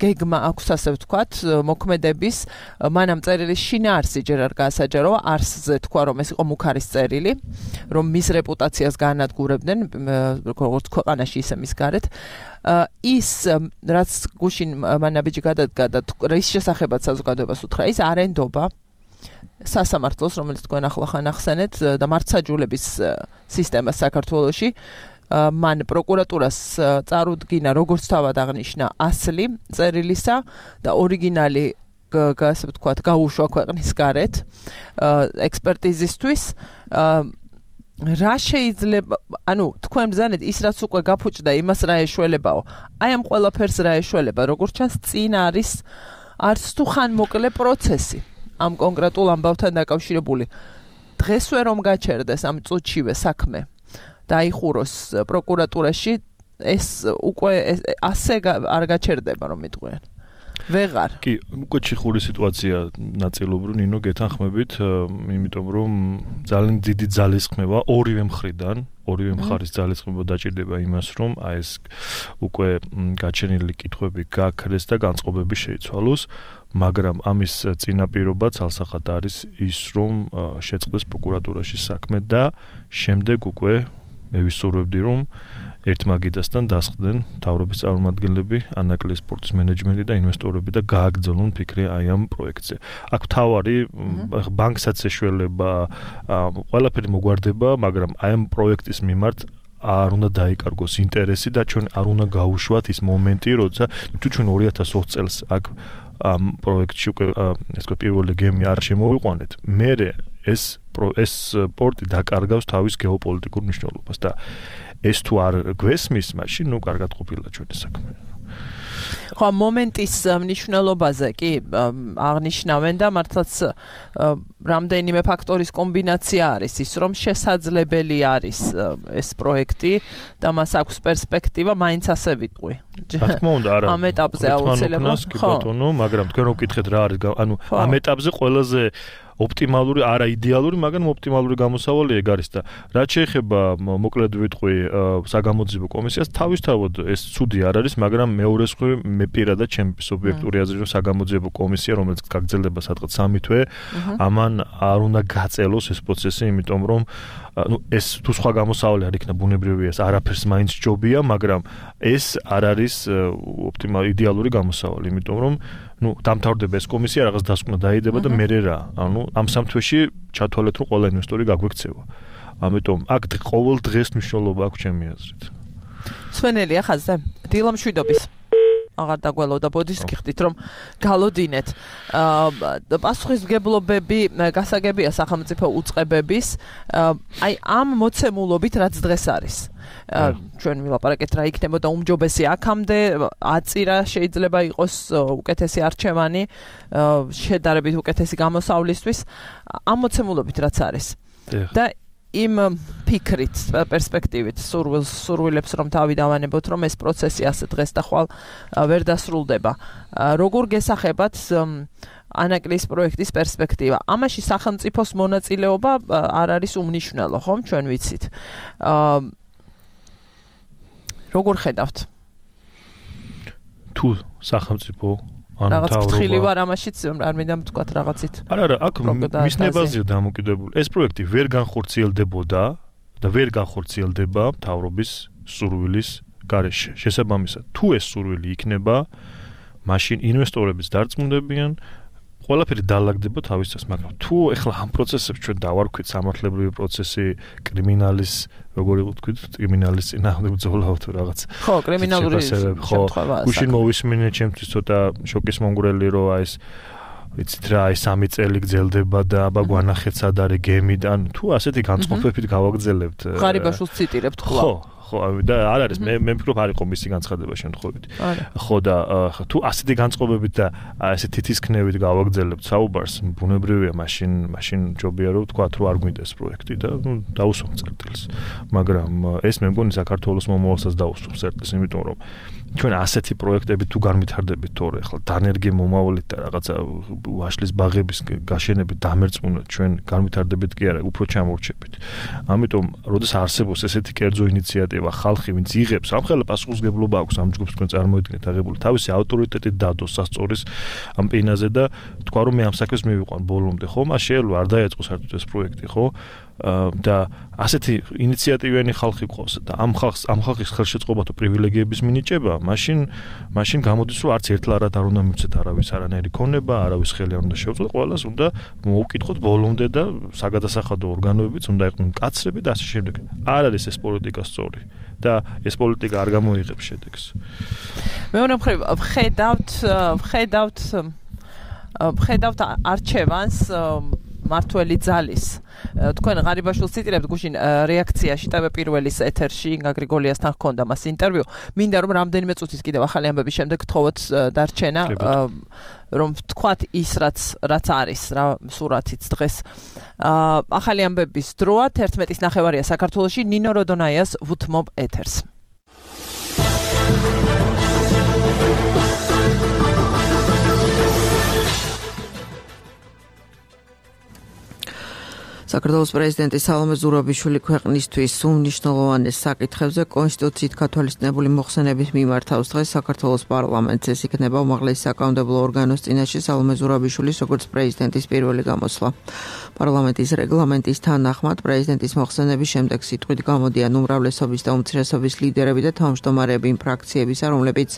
გეგმა აქვს, ასე ვთქვათ, მოქმედების მანამ წერილის შინაარსი ჯერ არ გაასაჯაროა, არსზე თქვა, რომ ეს იყო მუქარის წერილი, რომ მის რეპუტაციას გაანადგურებდნენ, როგორც ქვეყანაში, ისე მის გარეთ. ის, რაც გუშინ მანაბიჯი გადადგა და რის შესახებაც საზოგადოებას უთხრა, ის არენდობა სასამართლოს, რომელიც თქვენ ახლახან ახსენეთ და მართსაჯულების სისტემას საქართველოში. მან პროკურატურას წარუდგინა როგორც თავად აღნიშნა ასლი წერილისა და ორიგინალი ასე ვთქვათ გაუშვა ქვეყნის გარეთ ექსპერტიზისთვის. რა შეიძლება, ანუ თქვენ ბრძანეთ ის რაც უკვე გაფუჭდა, იმას რა ეშველებაო. აი ამ ყველაფერს რა ეშველება, როგორც ჩანს წინ არის არც თუ ხანმოკლე პროცესი ამ კონკრეტულ ამბავთან დაკავშირებული. დღესვე რომ გაჩერდეს ამ წუთშივე საქმე დაიხუროს პროკურატურაში, ეს უკვე ასე არ გაჩერდება, რომ მიტყვიან. ვეღარ. კი, უკვე ჩიხური სიტუაცია ნაწილობრივ ნინო გეთანხმებით, იმიტომ რომ ძალიან დიდი ძალისხმევა ორივე მხრიდან, ორივე მხარის ძალისხმევა დაჭირდება იმას, რომ აი ეს უკვე გაჩენილი კითხვები გაქრეს და განწყობები შეიცვალოს, მაგრამ ამის წინაპირობა ცალსახად არის ის, რომ შეწყდეს პროკურატურაში საქმე და შემდეგ უკვე მე ვისურვებდი, რომ ერთ მაგიდასთან დასხდნენ მთავრობის წარმომადგენლები, ანაკლიის სპორტის მენეჯმენტი და ინვესტორები და გააგრძელონ ფიქრი აი ამ პროექტზე. აქ თავარი ბანკსაც ეშველება, ყველაფერი მოგვარდება, მაგრამ აი ამ პროექტის მიმართ არ უნდა დაიკარგოს ინტერესი და ჩვენ არ უნდა გაუშვათ ის მომენტი, როცა თუ ჩვენ 2020 წელს აქ ამ პროექტში უკვე ეს პირველი გემი არ შემოვიყვანეთ, მერე ეს სპორტი დაკარგავს თავის გეოპოლიტიკურ მნიშვნელობას და ეს თუ არ გვესმის, მაშინ ნუ კარგად ყოფილა ჩვენი საქმე. ხო, მომენტის მნიშვნელობაზე კი აღნიშნავენ და მართლაც რამდენიმე ფაქტორის კომბინაცია არის ის, რომ შესაძლებელი არის ეს პროექტი და მას აქვს პერსპექტივა, მაინც ასე ვიტყვი. რა თქმა უნდა, არა. ამ ეტაპზე აუცილებლად. ხო, მაგრამ თქვენ რო გკითხეთ რა არის, ანუ ამ ეტაპზე ყველაზე ოპტიმალური, არა იდეალური, მაგრამ ოპტიმალური გამოსავალი ეგ არის და რაც შეეხება მოკლედ ვიტყვი საგამოძიებო კომისიას, თავისთავად ეს ცუდი არ არის, მაგრამ მეორეს ხრი მე პირადად ჩემი სუბიექტური აზრით რომ საგამოძიებო კომისია, რომელიც გაგრძელდება სადღაც 3 თვე, ამან არ უნდა გაწელოს ეს პროცესი, იმიტომ რომ ეს თუ სხვა გამოსავალი არ იქნება ბუნებრივია, ეს არაფერს მაინც ჯობია, მაგრამ ეს არ არის ოპტიმალური იდეალური გამოსავალი, იმიტომ რომ დამთავრდება ეს კომისია, რაღაც დასკვნა დაიდება და მერე რა. ამ 3 თვეში ჩათვალეთ, რომ ყველა ინვესტორი გაგვექცევა. ამიტომ აქ ყოველ დღეს მნიშვნელობა აქვს ჩემი აზრით. სვენელია ხაზზე. დილამშვიდობის. აღარ დაგველოდა ბოდის გიხდით, რომ გალოდინეთ. პასუხისმგებლობები გასაგებია სახელმწიფო უწყებების, აი ამ მოცემულობით რაც დღეს არის. ჩვენ ვილაპარაკეთ რა იქნებოდა უმჯობესი აქამდე, აწირა შეიძლება იყოს უკეთესი არჩევანი, შედარებით უკეთესი გამოსავლისთვის, ამ მოცემულობით რაც არის. და იმ ფიქრით, პერსპექტივით სურვილებს რომ თავი დავანებოთ, რომ ეს პროცესი ასე დღეს და ხვალ ვერ დასრულდება. როგორ გესახებათ ანაკლიის პროექტის პერსპექტივა? ამაში სახელმწიფოს მონაწილეობა არ არის უმნიშვნელო, ხომ? ჩვენ ვიცით. როგორ ხედავთ? თუ სახელმწიფო რაღაც ფრთხილი ვარ ამაშიც, არ მინდა ვთქვათ რაღაცით. არა, აქ მისნებაზეა დამოკიდებული. ეს პროექტი ვერ განხორციელდებოდა და ვერ განხორციელდება მთავრობის სურვილის გარეშე. შესაბამისად, თუ ეს სურვილი იქნება, მაშინ ინვესტორებიც დარწმუნდებიან, ყველაფერი დაალაგდება თავის წეს, მაგრამ თუ ეხლა ამ პროცესებს ჩვენ დავარქვით სამართლებრივი პროცესი, კრიმინალის, როგორი ვთქვით, კრიმინალის წინააღმდეგ ბრძოლა თუ რაღაც. ხო, კრიმინალური შემთხვევაა. გუშინ მოვისმინე ჩემთვის ცოტა შოკის მომგვრელი, რომ აი ეს ვიცით რა, აი 3 წელი გრძელდება და აბა გვანახეთ სად არის გემიდან, თუ ასეთი განწყობებით გავაგრძელებთ. ღარიბაშვილს ციტირებთ ხოლმე. ხო, და არ არის მე ვფიქრობ არ იყო მისი განცხადება შემთხვევით. ხო და თუ ასეთი განწყობებით და ესე თითისქნევით გავაგრძელებთ საუბარს, ბუნებრივია, მაშინ ჯობია რომ თქვა რომ არ გვინდეს პროექტი და დაუსვამ წერტილს. მაგრამ ეს მე მგონი საქართველოს მომავალსაც დაუსვამს წერტილს, იმიტომ რომ ჩვენ ასეთი პროექტები თუ განვითარდებით თორე ახლა დანერგი მომავალით და რაღაცა ვაშლის ბაღების გაშენებით დამერწმუნოთ ჩვენ განვითარდებით კი არა, უფრო ჩამორჩებით. ამიტომ, როდესაც არსებობს ესეთი კერძო ინიციატივა, ხალხი ვინც იღებს, ამხელა პასუხისმგებლობა აქვს ამ ჯგუფს, თქვენ წარმოიდგინეთ აღებული თავისი ავტორიტეტით დადოს სასწორის ამ პინაზე და თქვა რომ მე ამ საქმეს მივიყვან ბოლომდე, ხო? მას შეიძლება არ დაეწყო საერთოდ ეს პროექტი, ხო? და ასეთი ინიციატივიანი ხალხი ყავს და ამ ხალხის ხელშეწყობა თუ პრივილეგიების მინიჭება, მაშინ გამოდის რომ არც ერთლარად არ უნდა მივცეთ არავის არანაირი ქონება, არავის ხელი არ უნდა შეუწყოთ, ყველას უნდა მოუკითხოთ ბოლომდე და საგადასახადო ორგანოებიც უნდა იყვნენ მკაცრები და ასე შემდეგ. არ არის ეს პოლიტიკა სწორი და ეს პოლიტიკა არ გამოიღებს შედეგს. მეორე მხრივ ვხედავთ არჩევანს მართველი ძალის. თქვენ ღარიბაშვილს ციტირებთ გუშინ რეაქციაში ტევე პირველის ეთერში ინგა გრიგოლიასთან ჰქონდა მას ინტერვიუ. მინდა რომ რამდენიმე წუთის კიდევ ახალი ამბების შემდეგ გთხოვოთ დარჩენა, რომ თქვათ ის რაც არის, რა სურათიც დღეს. ახალი ამბების დროა 11:09 საქართველოში ნინო როდონაიას ვუთმობ ეთერს. საქართველოს პრეზიდენტი სალომე ზურაბიშვილი ქვეყნისთვის უმნიშვნელოვანეს საკითხებზე კონსტიტუციით გათვალისწინებული მოხსენების მიმართავს. დღეს საქართველოს პარლამენტს ეს იქნება უმაღლესი საკანონმდებლო ორგანოს წინაშე სალომე ზურაბიშვილის როგორც პრეზიდენტის პირველი გამოსვლა. პარლამენტის რეგლამენტის თანახმად პრეზიდენტის მოხსენების შემდეგ სიტყვით გამოდიან უმრავლესობის და უმცირესობის ლიდერები და თავმჯდომარეები იმ ფრაქციებისა, რომლებიც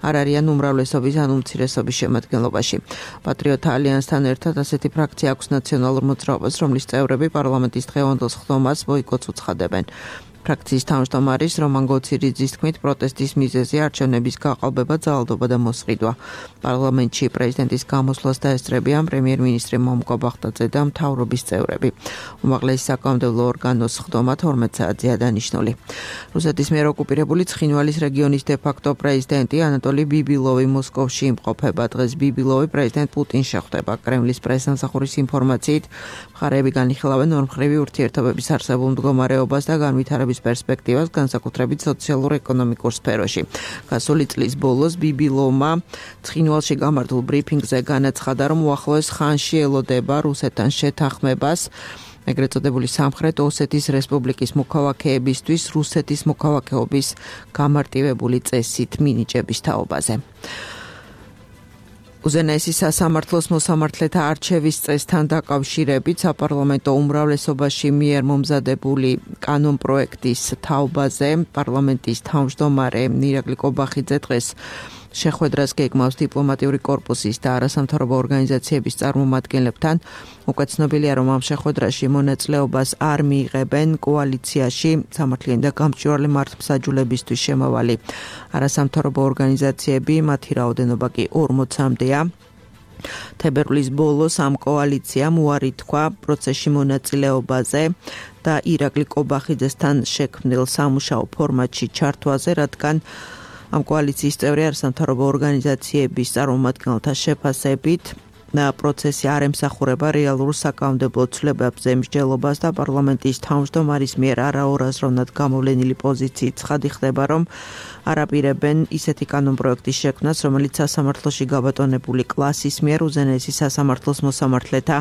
არ არიან უმრავლესობის ან უმცირესობის შემადგენლობაში. პატრიოტთა ალიანსთან ერთად ასეთი ფრაქცია აქვს ნაციონალურ მოძრაობას, რომლის წევრები პარლამენტის დღევანდელ სხდომას ბოიკოტს უცხადებენ. ფრაქციის თავმჯდომარის რომან გოციძის თქმით, პროტესტის მიზეზი არჩევნების გაყალბება, ძალადობა და მოსყიდვა. პარლამენტში პრეზიდენტის გამოსვლას დაესწრებიან პრემიერ-მინისტრი მომკო ბახტაძე და მთავრობის წევრები. უმაღლესი საკანონმდებლო ორგანოს სხდომა 12 საათზეა დანიშნული. რუსეთის მიერ ოკუპირებული ცხინვალის რეგიონის დე-ფაქტო პრეზიდენტი ანატოლი ბიბილოვი მოსკოვში იმყოფება. დღეს ბიბილოვი პრეზიდენტ პუტინს შეხვდება. კრემლის პრესსამსახურის ინფორმაციით, მხარეები განიხილავენ ორმხრივი ურთიერთობების არსებულ მდგომარეობას და განვითარების პერსპექტივას, განსაკუთრებით სოციალურ-ეკონომიკურ სფეროში. გასული წლის ბოლოს ბიბილოვმა ცხინვალში გამართულ ბრიფინგზე განაცხადა, რომ უახლოეს ხანში ელოდება რუსეთთან შეთანხმებას ეგრეთ წოდებული სამხრეთ ოსეთის რესპუბლიკის მოქალაქეებისთვის რუსეთის მოქალაქეობის გამარტივებული წესით მინიჭების თაობაზე. უზენაესი სასამართლოს მოსამართლეთა არჩევის წესთან დაკავშირებით საპარლამენტო უმრავლესობაში მიერ მომზადებული კანონპროექტის თაობაზე პარლამენტის თავმჯდომარე ირაკლი კობახიძე დღეს შეხვედრას გეგმავს დიპლომატიური კორპუსის და არასამთავრობო ორგანიზაციების წარმომადგენლებთან. უკვე ცნობილია, რომ ამ შეხვედრაში მონაწილეობას არ მიიღებენ კოალიციაში სამართლიანი და გამჭვირვალე მართლმსაჯულებისთვის შემავალი არასამთავრობო ორგანიზაციები, მათი რაოდენობა კი 40-მდეა. თებერვლის ბოლოს ამ კოალიციამ უარი თქვა პროცესში მონაწილეობაზე და ირაკლი კობახიძესთან შექმნილ სამუშაო ფორმატში ჩართვაზე, რადგან ამ კოალიციის წევრი არასამთავრობო ორგანიზაციების წარმომადგენელთა შეფასებით პროცესი არ ემსახურება რეალურ საკანონმდებლო ცვლილებებზე მსჯელობას და პარლამენტის თავმჯდომარის მიერ არაორაზროვნად გამოვლენილი პოზიციით ცხადი ხდება, რომ არ აპირებენ ისეთი კანონპროექტის შექმნას, რომელიც სასამართლოში გაბატონებული კლასის მიერ უზენაესი სასამართლოს მოსამართლეთა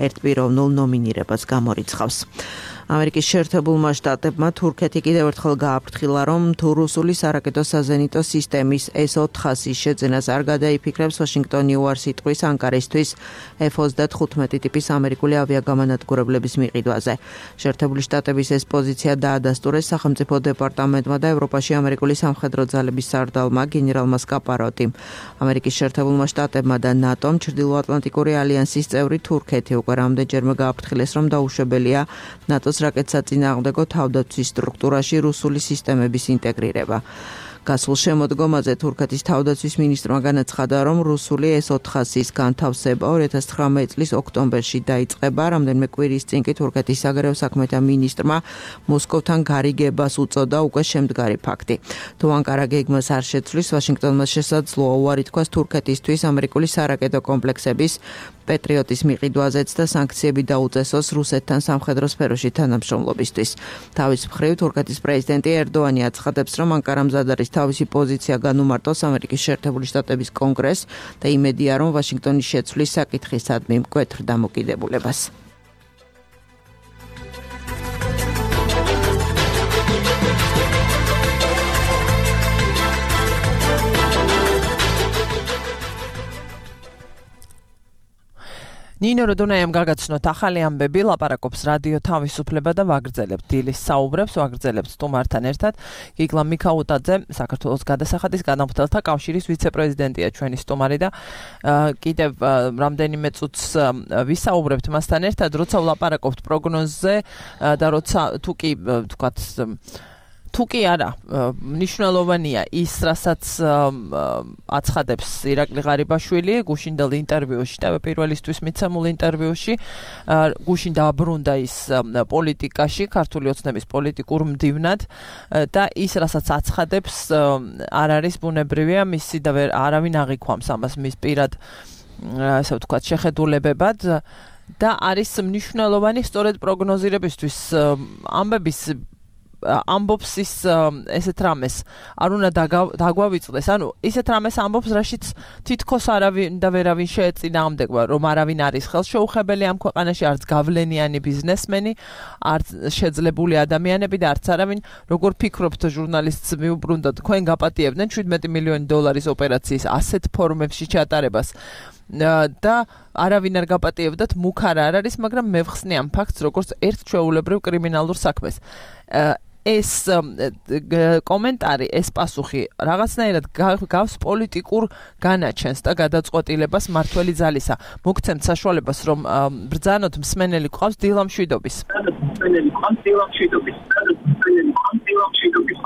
ერთპიროვნულ ნომინირებას გამორიცხავს. ამერიკის შეერთებულმა შტატებმა თურქეთი კიდევ ერთხელ გააფრთხილა, რომ თუ რუსული სარაკეტო საზენიტო სისტემის S-400-ის შეძენას არ გადაიფიქრებს, ვაშინგტონი უარს იტყვის ანკარისთვის მისვლის F-35 ტიპის ამერიკული ავიაგამანადგურებლების მიყიდვაზე. შეერთებული შტატების ეს პოზიცია დაადასტურეს სახელმწიფო დეპარტამენტმა და ევროპაში ამერიკული სამხედრო ძალების სარდალმა გენერალმა სკაპაროტიმ. ამერიკის შეერთებულმა შტატებმა და ნატომ ჩრდილოატლანტიკური ალიანსის წევრი თურქეთი უკვე რამდენჯერმე გააფრთხილეს, რომ დაუშვებელია ნატოს რაკეტსაწინააღმდეგო თავდაცვის სტრუქტურაში რუსული სისტემების ინტეგრირება. გასულ შემოდგომაზე თურქეთის თავდაცვის მინისტრმა განაცხადა, რომ რუსული S-400-ის განთავსება 2019 წლის ოქტომბერში დაიწყება. რამდენიმე კვირის წინ კი თურქეთის საგარეო საქმეთა მინისტრმა მოსკოვთან გარიგებას უწოდა უკვე შემდგარი ფაქტი. თუ ანკარა გეგმას არ შეცვლის, ვაშინგტონმა შესაძლოა უარი თქვას თურქეთისთვის ამერიკული სარაკეტო კომპლექსების პეტრიოტის მიყიდვაზეც და სანქციები დაუწესოს რუსეთთან სამხედრო სფეროში თანამშრომლობისთვის. თავის მხრივ თურქეთის პრეზიდენტი ერდოანი აცხადებს, რომ ანკარა მზად არის თავისი პოზიცია განუმარტოს ამერიკის შეერთებული შტატების კონგრესს და იმედია, რომ ვაშინგტონის შეცვლის საკითხისადმი მკვეთრ დამოკიდებულებას. ნინო როდონაიამ გაგაცნოთ ახალი ამბები, ლაპარაკობს რადიო თავისუფლება და ვაგრძელებთ დილის საუბრებს, ვაგრძელებთ სტუმართან ერთად. გიგლა მიქაუტაძე, საქართველოს გადასახადის განმხდელთა კავშირის ვიცე-პრეზიდენტია ჩვენი სტუმარი და კიდევ რამდენიმე წუთს ვისაუბრებთ მასთან ერთად, როცა ვლაპარაკობთ პროგნოზზე და როცა თუ კი არა, მნიშვნელოვანია ის, რასაც აცხადებს ირაკლი ღარიბაშვილი გუშინდელ ინტერვიუში, პირველისთვის მიცემულ ინტერვიუში, გუშინ დააბრუნდა ის პოლიტიკაში, ქართული ოცნების პოლიტიკურ მდივნად და ის, რასაც აცხადებს, არ არის ბუნებრივია, მისი და არავინ აღიქვამს ამას მის პირად, ასე ვთქვათ, შეხედულებებად და არის მნიშვნელოვანი სწორედ პროგნოზირებისთვის ამბების ამბობს ის ესეთ რამეს არ უნდა დაგვავიწყდეს, ანუ ისეთ რამეს ამბობს, რაშიც თითქოს არავინ და ვერავინ შეეწინააღმდეგება, რომ არავინ არის ხელშეუხებელი ამ ქვეყანაში, არც გავლენიანი ბიზნესმენი, არც შეძლებული ადამიანები და არც არავინ, როგორ ფიქრობთ ჟურნალისტს მიუბრუნდათ, თქვენ გაპატიებდნენ 17 მილიონი დოლარის ოპერაციის ასეთ ფორმებში ჩატარებას და არავინ არ გაპატიებდათ, მუქ არ არის, მაგრამ მე ვხსნი ამ ფაქტს, როგორც ერთ ჩვეულებრივ კრიმინალურ საქმეს. ეს კომენტარი, ეს პასუხი რაღაცნაირად გავს პოლიტიკურ განაჩენს და გადაწყვეტილებას მართველი ძალისა. მოგცემთ საშუალებას, რომ ბრძანოთ მსმენელი გვყავს დილამშვიდობის.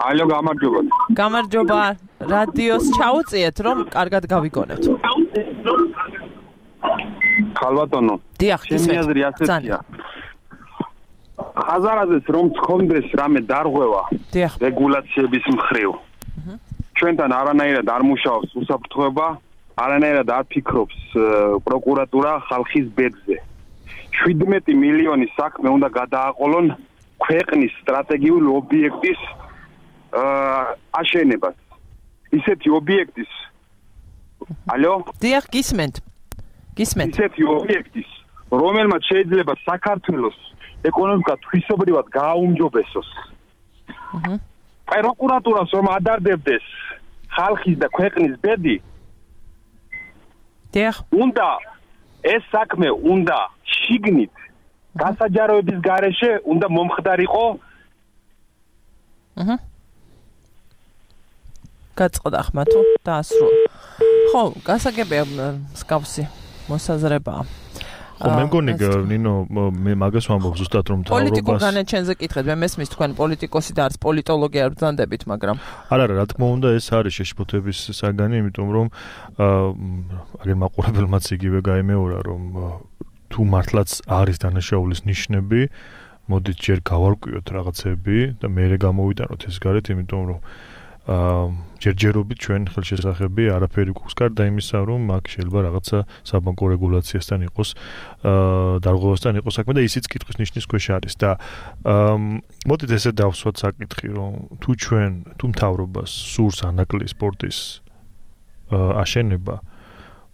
ალო, გამარჯობა. გამარჯობა. რადიოს ჩაუწიეთ, რომ კარგად გავიგონებთ. ხალბატონო. დიახ, ჩემი აზრი ასეთია. ხაზარაძეს რომ თქონდეს რამე დარღვევა რეგულაციების მხრივ. ჩვენთან არანაირად არ მუშაობს უსაფრთხოება, არანაირად არ ფიქრობს პროკურატურა ხალხის ბედზე. 17 მილიონი საქმე უნდა გადააყოლონ ქვეყნის სტრატეგიული ობიექტის აშენებას. ისეთი ობიექტის ალო? დიახ, გისმენთ. ისეთი ობიექტის, რომელმაც შეიძლება საქართველოს ეკონომიკა თვისობრივად გააუმჯობესოს. აი პროკურატურას რომ ადარდებდეს ხალხის და ქვეყნის ბედი. უნდა ეს საქმე უნდა შიგნით გასაჯაროების გარეშე უნდა მომხდარიყო. გაწყდა ხმა თუ დაასრულა. ხო, გასაგებია მსგავსი მოსაზრებაა. ხო, მე მგონი ნინო, მე მაგას ვამბობ ზუსტად რომ თავრობას პოლიტიკურ განაჩენზე კითხეთ, მე მესმის თქვენ პოლიტიკოსი და არც პოლიტოლოგი არ ბრძანდებით, მაგრამ არა, რა თქმა უნდა, ეს არის შეშფოთების საგანი, იმიტომ რომ აგერ მაყურებელმაც იგივე გაიმეორა, რომ თუ მართლაც არის დანაშაულის ნიშნები, მოდით ჯერ გავარკვიოთ რაღაცები და მერე გამოვიტანოთ ეს გარეთ, იმიტომ რომ ჯერჯერობით ჩვენ ხელშესახები არაფერი გვაქვს გარდა იმისა, რომ აქ შეიძლება რაღაცა საბანკო რეგულაციასთან იყოს, დარღვევასთან იყოს საქმე და ისიც კითხვის ნიშნის ქვეშ არის და მოდით ესე დავსვათ საკითხი, რომ თუ მთავრობას სურს ანაკლი სპორტის აშენება,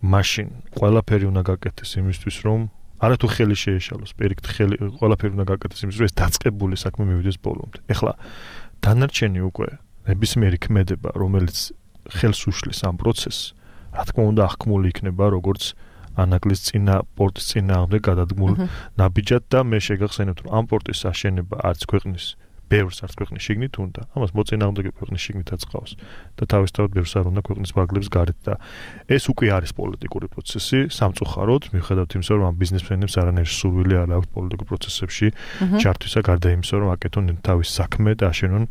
მაშინ ყველაფერი უნდა გაკეთდეს იმისთვის, რომ არა თუ ხელი შეეშალოს, პირიქით ყველაფერი უნდა გაკეთდეს იმისთვის, რომ ეს დაწყებული საქმე მივიდეს ბოლომდე. ეხლა დანარჩენი უკვე ნებისმიერი ქმედება, რომელიც ხელს უშლის ამ პროცესს, რა თქმა უნდა, აღქმული იქნება როგორც ანაკლის წინა პორტის წინააღმდეგ გადადგმულ ნაბიჯად და მე შეგახსენებთ რომ ამ პორტის აშენება არც ქვეყნის ბევრს არც ქვეყნის შიგნით უნდა ამას მოწინააღმდეგე ქვეყნის შიგნითაც ყავს და თავისთავად ბევრს არ უნდა ქვეყნის ფარგლებს გარეთ და ეს უკვე არის პოლიტიკური პროცესი სამწუხაროდ მიუხედავად იმისა რომ ამ ბიზნესმენებს არანაირი სურვილი არ აქვს პოლიტიკურ პროცესებში ჩართვისა გარდა იმისა რომ აკეთონ თავის საქმე და აშენონ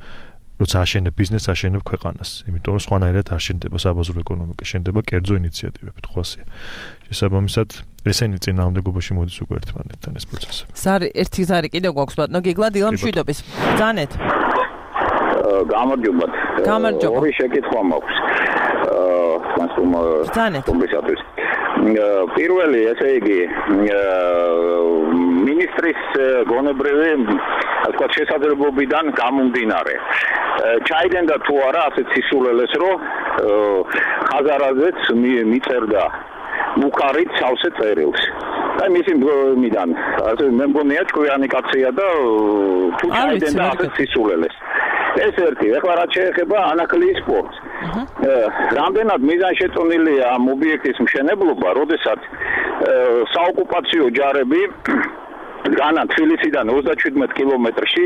როცა აშენებ ბიზნესს აშენებ ქვეყანას იმიტომ რომ სხვანაირად არ შენდება საბაზრო ეკონომიკა შენდება კერძო ინიციატივები ხვალსია შესაბამისად ესენი წინააღმდეგობაში მოდის უკვე ერთმანეთთან ეს პროცესი. ზარი ერთი ზარი კიდევ გვაქვს ბატონო გიგლა დილა მშვიდობის. ბრძანეთ. გამარჯობათ. გამარჯობა. ორი შეკითხვა მაქვს. ბრძანეთ. პირველი ესე იგი მინისტრის გონებრივი ასე შესაძლებლობიდან გამომდინარე ჩაიდენდა თუ არა ასეთ სისულელეს რომ ხაზარაძეც მიწერდა მუქარით სავსე წერილს. და მისი მიდან ასე მე მგონია ჭკვიანი კაცია და თუ ჩაიდენდა ასეთ სისულელეს. ეს ერთი, ეხლა რაც შეეხება ანაკლის სპორტს. რამდენად მიზანშეწონილია ამ ობიექტის მშენებლობა, როდესაც საოკუპაციო ჯარები განა თბილისიდან 37 კილომეტრში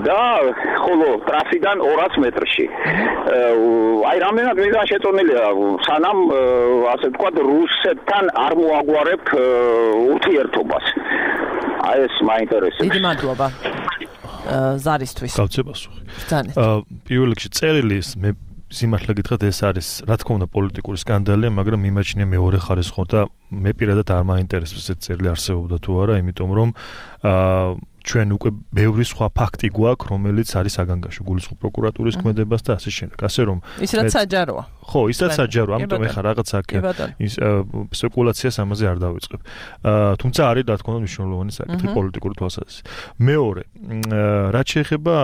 და ხოლო ტრასიდან 200 მეტრში. აი რამდენად მიზანშეწონილია სანამ ასე ვთქვათ რუსეთთან არ მოაგვარებ ურთიერთობას. აი ეს მაინტერესებს. დიდი მადლობა. ზარისთვის. გავცე პასუხი. პირველ რიგში წერილის მე სიმართლე გითხრათ ეს არის რა თქმა უნდა პოლიტიკური სკანდალია, მაგრამ მიმაჩნია მეორე ხარისხო და მე პირადად არ მაინტერესებს ეს წერილი არსებობდა თუ არა, იმიტომ რომ ჩვენ უკვე ბევრი სხვა ფაქტი გვაქვს, რომელიც არის საგანგაშო გულისხმობ პროკურატურის ქმედებას და ასე შემდეგ. ასე რომ ის რაც საჯაროა. ხო, ის რაც საჯაროა, ამიტომ ეხლა რაღაც აქ ის სპეკულაციას ამაზე არ დავიწყებ. თუმცა არის რა თქმა უნდა მნიშვნელოვანი საკითხი პოლიტიკური თვალსაზრისით. მეორე, რაც შეეხება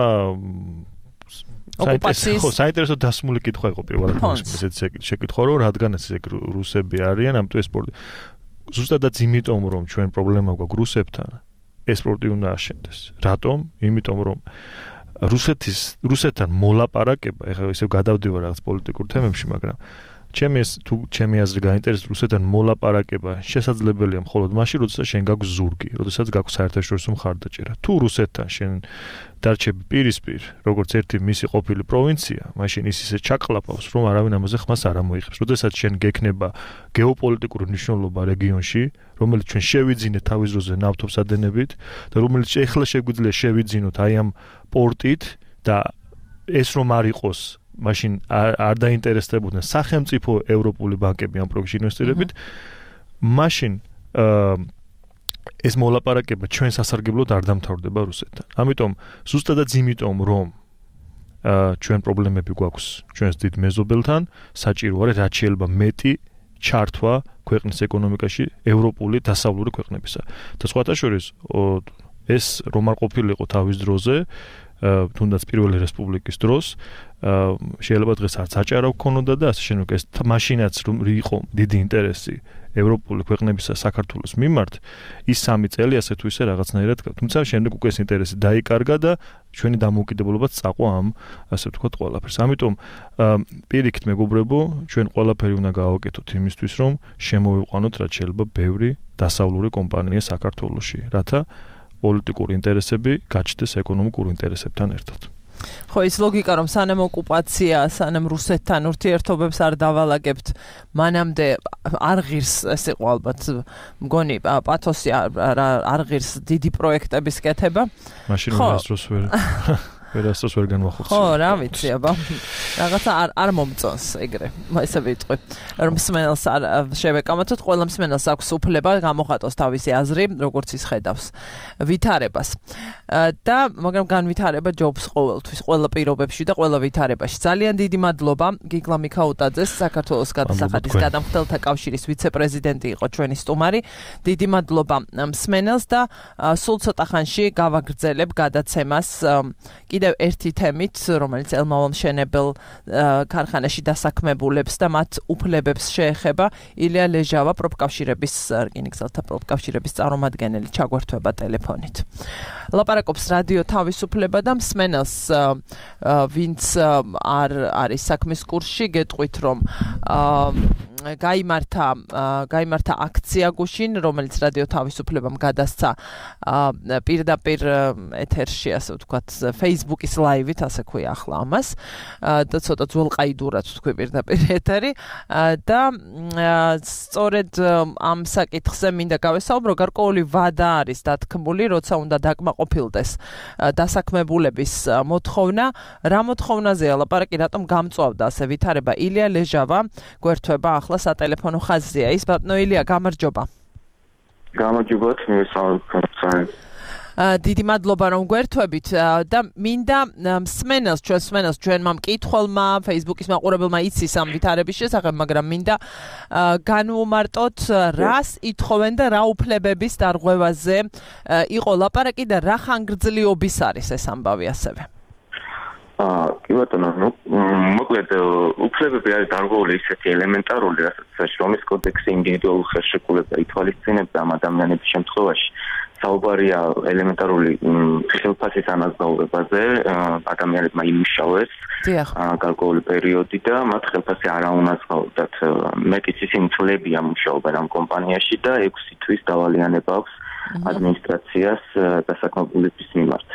საინტერესო დასმული კითხვა იყო პირველად ესეც შეკითხვა რომ რადგანაც ეს რუსები არიან ამიტომ ეს სპორტი ზუსტადაც იმიტომ რომ ჩვენ პრობლემა გვაქვს რუსებთან ეს სპორტი უნდა აშენდეს რატომ იმიტომ რომ რუსეთთან მოლაპარაკება ეხლა ისევ გადავდივარ რაღაც პოლიტიკურ თემებში მაგრამ ჩემი აზრი გაინტერესებს რუსეთთან მოლაპარაკება შესაძლებელია მხოლოდ მაშინ როდესაც შენ გაქვს ზურგი როდესაც გაქვს საერთაშორისო მხარდაჭერა თუ რუსეთთან შენ დარჩები პირისპირ როგორც ერთი მისი ყოფილი პროვინცია მაშინ ის ისე ჩაყლაპავს რომ არავინ ამაზე ხმას არ ამოიღებს როდესაც შენ გექნება გეოპოლიტიკური მნიშვნელობა რეგიონში რომელიც ჩვენ შევიძინეთ თავის დროზე ნავთობსადენებით და რომელიც ეხლა შეგვიძლია შევიძინოთ აი ამ პორტით და ეს რომ არ იყოს მაშინ არ დაინტერესდებოდნენ სახელმწიფო ევროპული ბანკები ამ პროექტში ინვესტირებით მაშინ ეს მოლაპარაკება ჩვენ სასარგებლოდ არ დამთავრდება რუსეთთან. ამიტომ ზუსტადაც იმიტომ რომ ჩვენ პრობლემები გვაქვს ჩვენს დიდ მეზობელთან, საჭირო არის რაც შეიძლება მეტი ჩართვა ქვეყნის ეკონომიკაში ევროპული დასავლური ქვეყნებისა. და სხვათა შორის ეს რომ არ ყოფილიყო თავის დროზე თუნდაც პირველი რესპუბლიკის დროს შეიძლება დღეს არც აჭარა გქონოდა და ასე შემდეგ ეს მაშინაც რომ იყო დიდი ინტერესი ევროპული ქვეყნებისა საქართველოს მიმართ ის 3 წელი ასე თუ ისე რაღაცნაირად თუმცა შემდეგ უკვე ეს ინტერესი დაიკარგა და ჩვენი დამოუკიდებლობაც წაყვა ამ ასე ვთქვათ ყველაფერს. ამიტომ პირიქით მეგობრებო ჩვენ ყველაფერი უნდა გავაკეთოთ იმისთვის რომ შემოვიყვანოთ რაც შეიძლება ბევრი დასავლური კომპანია საქართველოში რათა პოლიტიკური ინტერესები გაჩნდეს ეკონომიკურ ინტერესებთან ერთად. ხო ის ლოგიკა რომ სანამ ოკუპაცია, სანამ რუსეთთან ურთიერთობებს არ დავალაგებთ, მანამდე არ ღირს ეს იყო ალბათ მგონი პათოსი არ ღირს დიდი პროექტების კეთება. მაშინ ვერასდროს ვერ განვახორციელებ. ხო, რა ვიცი, აბა. რაღაცა არ მომწონს ეგრე. ესე ვიტყვი. რომ მსმენელს არ შევეკამათოთ, ყველა მსმენელს აქვს უფლება გამოხატოს თავისი აზრი, როგორც ის ხედავს ვითარებას. და მაგრამ განვითარება ჯობს ყოველთვის, ყველა პირობებში და ყველა ვითარებაში. ძალიან დიდი მადლობა გიგლა მიქაუტაძეს, საქართველოს გადასახადის გადამხდელთა კავშირის ვიცე-პრეზიდენტი იყო ჩვენი სტუმარი. დიდი მადლობა მსმენელს და სულ ცოტა ხანში გავაგრძელებ გადაცემას კიდევ ერთი თემით, რომელიც ელმავალ-მშენებელ ქარხანაში დასაქმებულებს და მათ უფლებებს შეეხება. ილია ლეჟავა პროფკავშირების რკინიგზელთა პროფკავშირების წარმომადგენელი ჩაგვერთვება ტელეფონით. ლაპარაკობს რადიო თავისუფლება და მსმენელს ვინც არ არის საქმის კურსში, გეტყვით რომ გაიმართა აქცია გუშინ, რომელიც რადიო თავისუფლებამ გადასცა პირდაპირ ეთერში, ასე ვთქვათ, Facebook-ის ლაივით, ასე ქვია ახლა ამას. და ცოტა ძველყაიდურად თქვი პირდაპირ ეთერი და სწორედ ამ საკითხზე მინდა გავესაუბრო, გარკვეული ვადა არის დათქმული, როცა უნდა დაკმაყოფილდეს დასაქმებულების მოთხოვნა. რა მოთხოვნაზეა ლაპარაკი, რატომ გამწვავდა ასე ვითარება? ილია ლეჟავა გვერდება ახლა სატელეფონო ხაზზეა. ის ბატონო ილია, გამარჯობა. გამარჯობა, მე დიდი მადლობა რომ გვერთვებით და მინდა მსმენელს ჩვენმა მკითხველმა Facebook-ის მაყურებელმა იცის ამ ვითარების შესახებ, მაგრამ მინდა განვუმარტოთ რას ითხოვენ და რა უფლებების დარღვევაზე იყო ლაპარაკი და რა ხანგრძლივობის არის ეს ამბავი ასევე. კი ბატონო, მოკლედ უფლებები არის დარღვეული ისეთი ელემენტარული, რასაც შრომის კოდექსი ინდივიდუალურ ხელშეკრულება ითვალისწინებს ამ ადამიანების შემთხვევაში. საუბარია ელემენტარული ხელფასის ანაზღაურებაზე, ადამიანებმა იმუშავეს გარკვეული პერიოდი და მათ ხელფასი არ აუნაზღაურდათ. მეტიც ისინი წლებია მუშაობენ ამ კომპანიაში და 6 თვის დავალიანება აქვს ადმინისტრაციას დასაქმებულების მიმართ.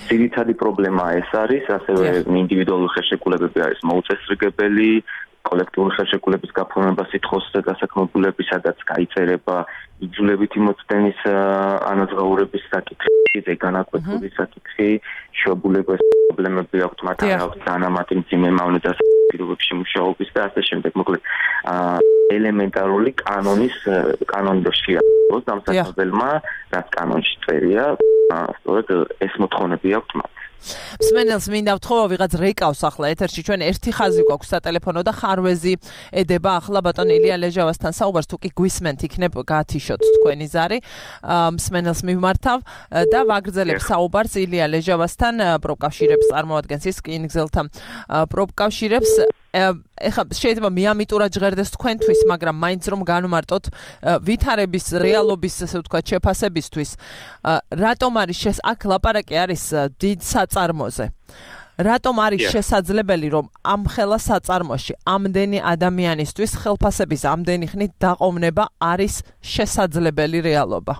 ძირითადი პრობლემა ეს არის, ასევე ინდივიდუალური ხელშეკრულებები არის მოუწესრიგებელი, კოლექტიური ხელშეკრულების გაფორმება სიტყვის დასაქმებულების, სადაც გაიწერება იძულებითი მოწდენის ანაზღაურების საკითხი, ზეგანაკვეთური საკითხი, შობულების პრობლემები აქვს, მათ აქვს დანამატი მძიმე მავნე დასაქმებულებში მუშაობის და ასე შემდეგ. მოკლედ ელემენტარული კანონში აქვს დამსახურებელმა, რაც კანონში წერია, სწორედ ეს მოთხოვნები აქვს მათ. მსმენელს მინდა ვთხოვო, ვიღაც რეკავს ახლა ეთერში, ჩვენ ერთი ხაზი გვაქვს სატელეფონო და ხარვეზი ედება ახლა ბატონ ილია ლეჟავასთან საუბარს, თუ კი გვისმენთ, იქნებ გათიშოთ თქვენი ზარი. მსმენელს მივმართავ და ვაგრძელებ საუბარს ილია ლეჟავასთან, პროფკავშირებს წარმოადგენს ის რკინიგზელთა პროფკავშირებს. ეხლა შეიძლება მიამიტურად ჟღერდეს თქვენთვის, მაგრამ მაინც რომ განვმარტოთ ვითარების რეალობის, ასე ვთქვათ, შეფასებისთვის, რატომ არის აქ ლაპარაკი არის დიდ საწარმოზე. რატომ არის შესაძლებელი, რომ ამ ხელა საწარმოში ამდენი ადამიანისთვის ხელფასების ამდენი ხნით დაყოვნება არის შესაძლებელი რეალობა?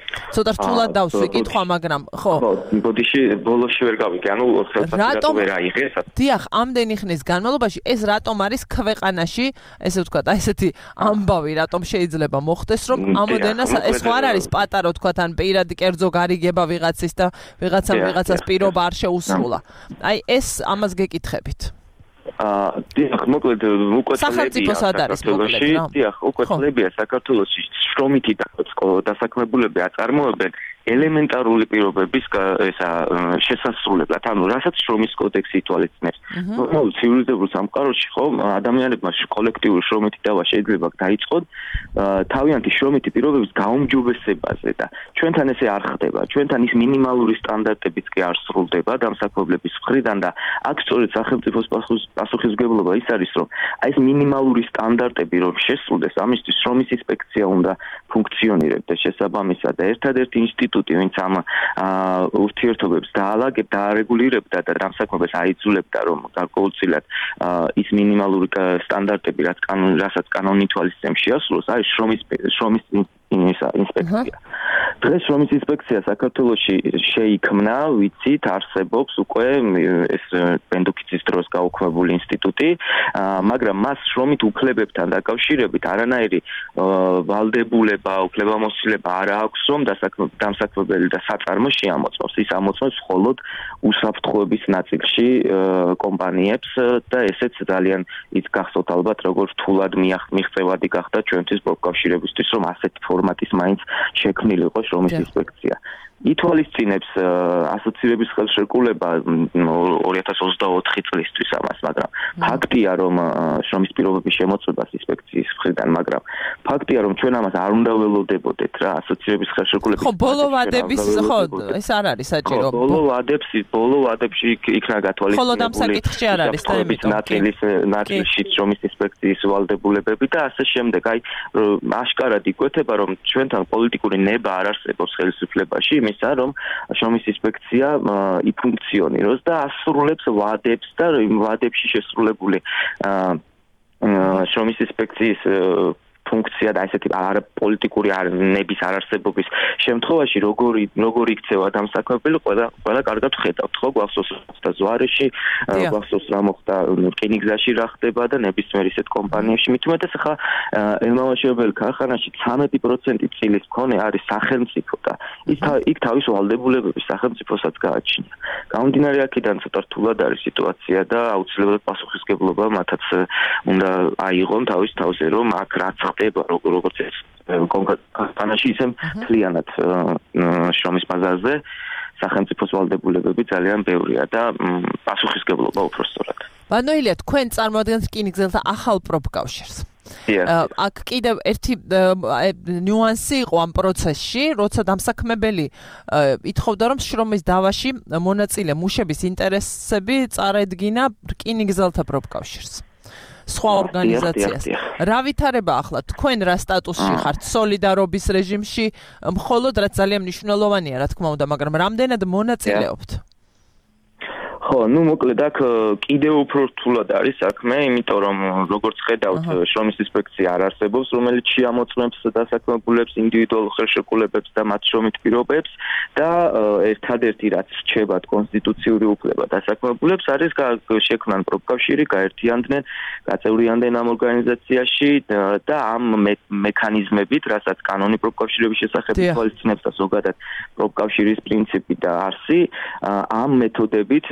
ცოტა რთულად დავსვი კითხვა, მაგრამ ხო. ბოდიში ბოლოში ვერ გავიგე, ანუ ხელფასი ვერ აიღეს. დიახ, ამდენი ხნის განმავლობაში ეს რატომ არის ქვეყანაში, ესე ვთქვათ, აი ესეთი ამბავი, რატომ შეიძლება მოხდეს, რომ ამოდენას ეს ხო არ არის პატარა, ვთქვათ, ან პირადი კერძო გარიგება ვიღაცის და ვიღაცას პირობა არ შეუსრულა. აი ეს ამას გეკითხებით. დიახ, მოკლედ უკვე სახელმწიფოს არის მოკლედ რა. დიახ, უკვე წლებია საქართველოში შრომითი დასაქმებულები აწარმოებენ ელემენტარული პირობების შესასრულებლად, ანუ რასაც შრომის კოდექსი ითვალისწინებს. ნორმალურ ცივილიზებულ სამყაროში ხო ადამიანებმა კოლექტიური შრომითი დავა შეიძლება დაიწყონ თავიანთი შრომითი პირობების გაუმჯობესებაზე და ჩვენთან ესე არ ხდება. ჩვენთან ის მინიმალური სტანდარტებიც კი არ სრულდება დამსაქმებლების მხრიდან და აქ სწორედ სახელმწიფოს პასუხისმგებლობა ის არის, რომ აი ეს მინიმალური სტანდარტები რომ შესრულდეს, ამისთვის შრომის ინსპექცია უნდა ფუნქციონირებდეს შესაბამისად და ერთადერთი ინსტიტუტი, ვინც ამ ურთიერთობებს დაალაგებდა, არეგულირებდა და დამსაქმებას აიძულებდა, რომ გარკვეულწილად ის მინიმალური სტანდარტები, რასაც კანონი ითვალისწინებს, შეასრულოს, არის შრომის ინსპექცია. დღეს შრომის ინსპექცია საქართველოში შეიქმნა, ვიცით, არსებობს უკვე ეს ბენდუქიცის დროს გაუქმებული ინსტიტუტი, მაგრამ მას შრომით უფლებებთან დაკავშირებით არანაირი ვალდებულება, უფლებამოსილება არ აქვს, რომ დამსაქმებელი და საწარმო შეამოწმოს. ის ამოწმებს მხოლოდ უსაფრთხოების ნაწილში კომპანიებს და ესეც ძალიან ის გახსოვთ ალბათ, როგორც რთულად მიღწევადი გახდა ჩვენთვის პროფკავშირებისთვის, რომ ასეთი ფორმატის მაინც შექმნილიყო შრომის ინსპექცია. ითვალისწინებს ასოციაციების ხელშეკრულება 2024 წლისთვის ამას, მაგრამ ფაქტია, რომ შრომის პირობების შემოწმებას ინსპექციის მხრიდან, მაგრამ ფაქტია, რომ ჩვენ ამას არ უნდა ველოდებოდეთ რა, ასოციაციების ხელშეკრულების. ხო, ბოლო ვადების, ხო, ეს არ არის საჭირო. ბოლო ვადებში იქნა გათვალისწინებული. ხოლო ამ საკითხში არ არის და ამიტომ ნაწილში შრომის ინსპექციის ვალდებულებები და ასე შემდეგ. აი, აშკარად იკვეთება, რომ ჩვენთან პოლიტიკური ნება არ არსებობს ხელისუფლებაში, იმისა, რომ შრომის ინსპექცია იფუნქციონიროს და ასრულებს ვადებს და იმ ვადებში შესრულებული შრომის ინსპექციის ფუნქცია და ესეთი პოლიტიკური ნების არარსებობის შემთხვევაში როგორ იქცევა დამსაქმებელი ყველა კარგად ხედავთ ხო გვახსოვს და ზვარეში გვახსოვს რა მოხდა რკინიგზაში რა ხდება და ნებისმიერ ისეთ კომპანიებში მით უმეტეს ახლა ელმამაშობელ ქარხანაში 13% წილის მქონე არის სახელმწიფო და იქ თავის ვალდებულებების სახელმწიფოსაც გააჩნია გამომდინარე აქედან ცოტა რთულად არის სიტუაცია და აუცილებლად პასუხისმგებლობა მათაც უნდა აიღონ თავის თავზე რომ აქ რაც როგორც ეს კომპანიაში ისე მთლიანად შრომის ბაზარზე სახელმწიფოს ვალდებულებები ძალიან ბევრია და პასუხისმგებლობა უფრო სწორად. ბანოილია თქვენ წარმოადგენთ რკინიგზელთა ახალ პროფკავშირს. აქ კიდევ ერთი ნიუანსი იყო ამ პროცესში, როცა დამსაქმებელი ითხოვდა რომ შრომის დავაში მონაწილე მუშების ინტერესები წარედგინა რკინიგზელთა პროფკავშირს. სხვა ორგანიზაციას. რა ვითარება ახლა თქვენ რა სტატუსში ხართ სოლიდარობის რეჟიმში მხოლოდ რაც ძალიან მნიშვნელოვანია რა თქმა უნდა მაგრამ რამდენად მონაწილეობთ ხო, ну მოკლედ აქ კიდევ უფრო რთულად არის საქმე, იმიტომ რომ როგორც ხედავთ, შრომის ინსპექცია არ არსებობს, რომელიც შეამოწმებს დასაქმებულებს, ინდივიდუალურ ხელშეკრულებებს და მათ შრომით პირობებს და ერთადერთი რაც რჩებათ კონსტიტუციური უფლება დასაქმებულებს არის შექმნან პროფკავშირი, გაერთიანდნენ, გაწევრიანდნენ ამ ორგანიზაციაში და ამ მექანიზმებით, რასაც კანონი პროფკავშირების შესახებ ითვალისწინებს და ზოგადად პროფკავშირის პრინციპი და არსი, ამ მეთოდებით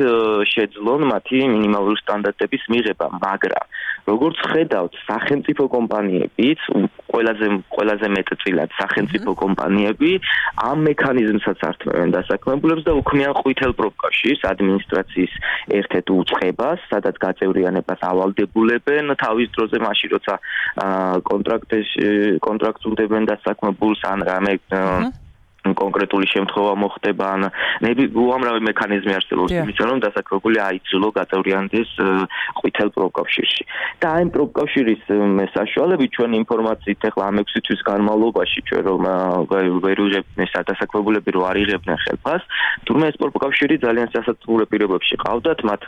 შეძლონ მათი მინიმალური სტანდარტების მიღება, მაგრამ როგორც ხედავთ, სახელმწიფო კომპანიებიც, ყველაზე მეტწილად სახელმწიფო კომპანიები ამ მექანიზმსაც ართმევენ დასაქმებულებს და უქმნიან ყვითელ პროფკავშირს, ადმინისტრაციის ერთ-ერთ უწყებას, სადაც გაწევრიანებას ავალდებულებენ თავის დროზე, მაშინ როცა კონტრაქტს უდებენ დასაქმებულს ან რამე კონკრეტული შემთხვევა მოხდება ან უამრავი მექანიზმი არსებობს იმისა რომ დასაქმებული აიძულო გაწევრიანდეს ყვითელ პროფკავშირში და აი პროფკავშირის საშუალებით ჩვენ ინფორმაციით ახლა ამ 6 თვის განმავლობაში ჩვენ რომ ვერ ვიღებთ დასაქმებულები რომ არ იღებდნენ ხელფას თუმცა ეს პროფკავშირი ძალიან სასაცილო პირობებში ყავდათ მათ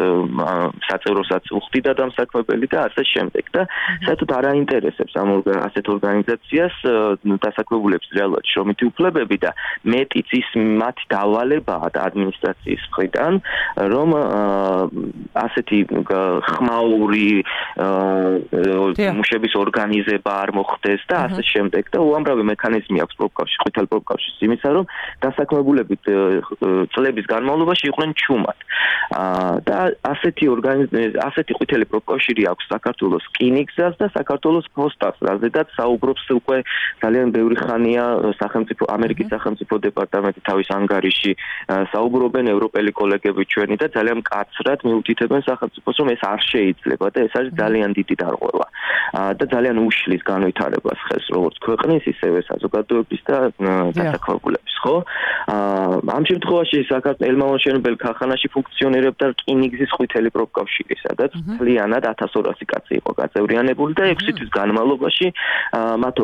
საწევროსაც უხდიდა დამსაქმებელი და ასე შემდეგ და საერთოდ არ აინტერესებს ამ ასეთ ორგანიზაციას დასაქმებულებს რეალურად შრომითი უფლებები და მეტიც ის მათი დავალებაა ადმინისტრაციის მხრიდან რომ ასეთი ხმაური მუშების ორგანიზება არ მოხდეს და ასე შემდეგ და უამრავი მექანიზმი აქვს პროფკავშირში, ყვითელ პროფკავშირში იმისა რომ დასაქმებულები წლების განმავლობაში იყვნენ ჩუმად და ასეთი ყვითელი პროფკავშირი აქვს საქართველოს რკინიგზას და საქართველოს პოსტას რაზედაც საუბრობს უკვე ძალიან ბევრი ხანია ამერიკის სახელმწიფო დეპარტამენტი თავის ანგარიში საუბრობენ ევროპელი კოლეგები ჩვენი და ძალიან მკაცრად მიუთითებენ სახელმწიფოს რომ ეს არ შეიძლება და ეს არის ძალიან დიდი დარღვევა და ძალიან უშლის განვითარებას ხელს როგორც ქვეყნის ისევე საზოგადოების და დასაქმებულების ხო ამ შემთხვევაში საქართველოს ელმამაშენებელ ქარხანაში ფუნქციონირებდა რკინიგზის ყვითელი პროფკავშირი სადაც მთლიანად 1200 კაცი იყო გაწევრიანებული და 6 თვის განმავლობაში მათ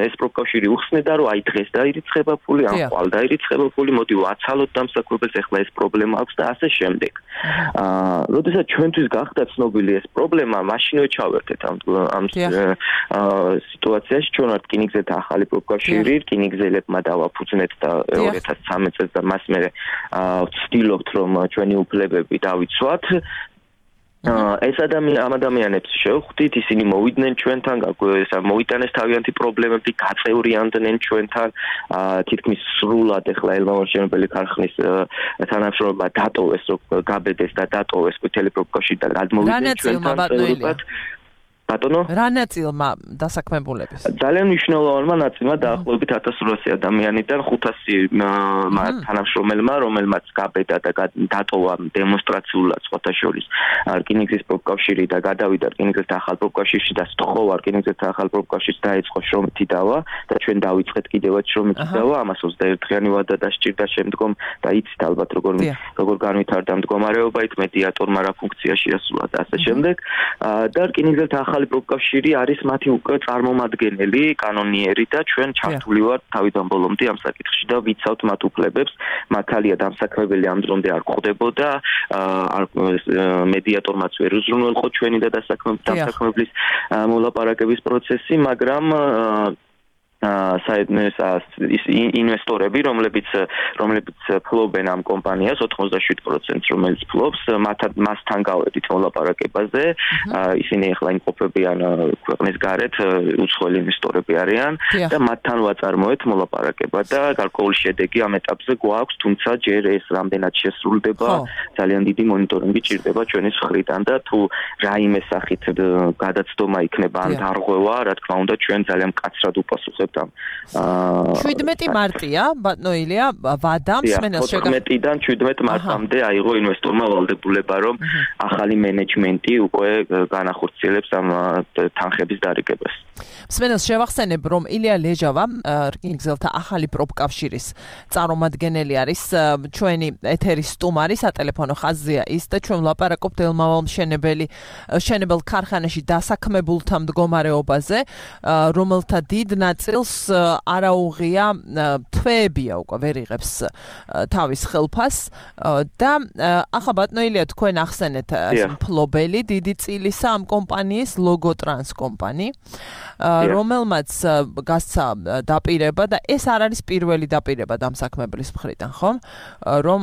ეს პროფკავშირი უხსნედა რომ აი დღეს დაირიცხება ფული ან ხვალ დაირიცხება ფული მოდი ვაცალოთ დამსაქმებელს ეხლა ეს პრობლემა აქვს და ასე შემდეგ როდესაც ჩვენთვის გახდა ცნობილი ეს პრობლემა მაშინვე ჩავერთეთ ამ სიტუაციაში ჩვენ ვართ რკინიგზელთა ახალი პროფკავშირი რკინიგზელებმა დავაფუძნეთ და 2013 წელს და მას მერე ვცდილობთ რომ ჩვენი უფლებები დავიცვათ ეს ამ ადამიანებს შევხვდით, ისინი მოვიდნენ ჩვენთან, მოიტანეს თავიანთი პრობლემები, გაწევრიანდნენ ჩვენთან, თითქმის სრულად ეხლა ელმამაშენებელი ქარხნის თანამშრომლობა დატოვეს, გაბედეს და დატოვეს ყვითელი პროფკავშირი და გადმოვიდნენ ჩვენთან. ბატონო? რა ნაწილმა დასაქმებულების? ძალიან მნიშვნელოვანმა ნაწილმა დაახლოებით 1800 ადამიანიდან 500 თანამშრომელმა, რომელმაც გაბედა და დატოვა დემონსტრაციულად სხვათა შორის რკინიგზის პროფკავშირი და გადავიდა რკინიგზელთა ახალ პროფკავშირში და სწხოვა რკინიგზელთა ახალ პროფკავშირს დაიწყო შრომითი დავა და ჩვენ დავიწყეთ კიდევაც შრომითი დავა, ამას 21-დღიანი ვადა დასჭირდა შემდგომ და იცით ალბათ როგორ განვითარდა მდგომარეობა, იქ მედიატორმა რა ფუნქცია შეასრულა და ასე შემდეგ და რკინიგზელთა ახალ ახალი პროფკავშირი არის მათი უკვე წარმომადგენელი, კანონიერი და ჩვენ ჩართული ვართ თავიდან ბოლომდე ამ საკითხში და ვიცავთ მათ უფლებებს. მართალია დამსაქმებელი ამ დრომდე არ გვხვდებოდა, მედიატორმაც ვერ უზრუნველყო ჩვენი და დამსაქმებლის მოლაპარაკების პროცესი, მაგრამ ინვესტორები, რომლებიც ფლობენ ამ კომპანიას 87%, რომელიც ფლობს, მასთან გავედით მოლაპარაკებაზე. ისინი ახლა იმყოფებიან ქვეყნის გარეთ, უცხოელი ინვესტორები არიან და მათთან ვაწარმოეთ მოლაპარაკება და გარკვეული შედეგი ამ ეტაპზე გვაქვს, თუმცა ჯერ ეს რამდენად შესრულდება, ძალიან დიდი მონიტორინგი ჭირდება ჩვენი მხრიდან და თუ რაიმე სახით გადაცდომა იქნება ან დარღვევა, რა თქმა უნდა, ჩვენ ძალიან მკაცრად უპასუხებთ. 17 მარტია, ბატონო ილია, ვადამ მსმენელს 14-დან 17 მარტამდე აიღო ინვესტორმა ვალდებულება, რომ ახალი მენეჯმენტი უკვე განახორციელებს ამ თანხების დარიგებას. მსმენელს შევახსენებ, რომ ილია ლეჟავა, რკინიგზელთა ახალი პროფკავშირის წარმომადგენელი არის, ჩვენი ეთერის სტუმარი, სატელეფონო ხაზია ის და ჩვენ ვლაპარაკობთ ელმავალ მშენებელ ქარხანაში დასაქმებულთა მდგომარეობაზე, რომელთა დიდ ნაწილს არაუღია თვეებია უკვე ვერ იღებს თავის ხელფას და ახლა ბატონო ილია თქვენ ახსენეთ მფლობელი დიდი წილისა ამ კომპანიის ლოგოტრანს კომპანი, რომელმაც გასცა დაპირება და ეს არ არის პირველი დაპირება დამსაქმებლის მხრიდან, ხო? რომ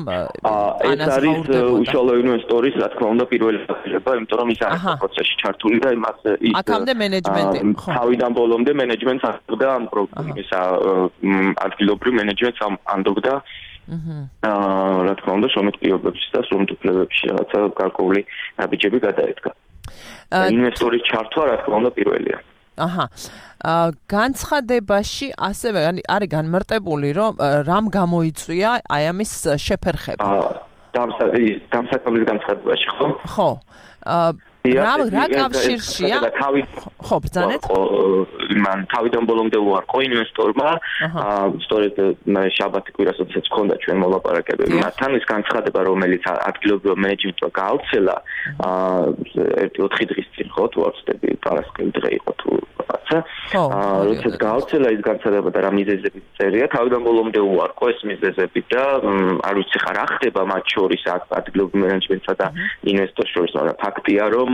ეს არის უშუალო ინვესტორის, რა თქმა უნდა, პირველი დაპირება, იმიტომ რომ ის არის პროცესში ჩართული და იმას აქამდე მენეჯმენტი, ხო? თავიდან ბოლომდე მენეჯმენტს ანდობდა ამ პროგრამისა ადგილობრივ მენეჯმენტს ანდობდა რა თქმა უნდა შემოქმედებებში და სრულუფლებებში რაღაცა გარკვეული ნაბიჯები გადაედგა. ინვესტორის ჩართვა რა თქმა უნდა პირველია. განცხადებაში ასევე არის განმარტებული, რომ რამ გამოიწვია აი ამის შეფერხება. დამსაქმებლის განცხადებაში, ხო? ხო. რა კავშირშია? ხო, ბრძანეთ. მან თავიდან ბოლომდე უარყო ინვესტორმა, სწორედ შაბათი კვირასაც ჰქონდა ჩვენ მოლაპარაკებები მათთან, ის განცხადება, რომელიც ადგილობრივ მენეჯმენტმა გააუცელა 1-4 დღის წინ, ხო, თუ არ ვცდები, პარასკევი დღე იყო თუ რაღაცა. როდესაც გააუცელა ის განცხადება და რა მიზეზებით წერია, თავიდან ბოლომდე უარყო ეს მიზეზები და არ ვიცი ხა რა ხდება მათ შორის ადგილობრივ მენეჯმენტსა და ინვესტორს შორის, მაგრამ ფაქტია, რომ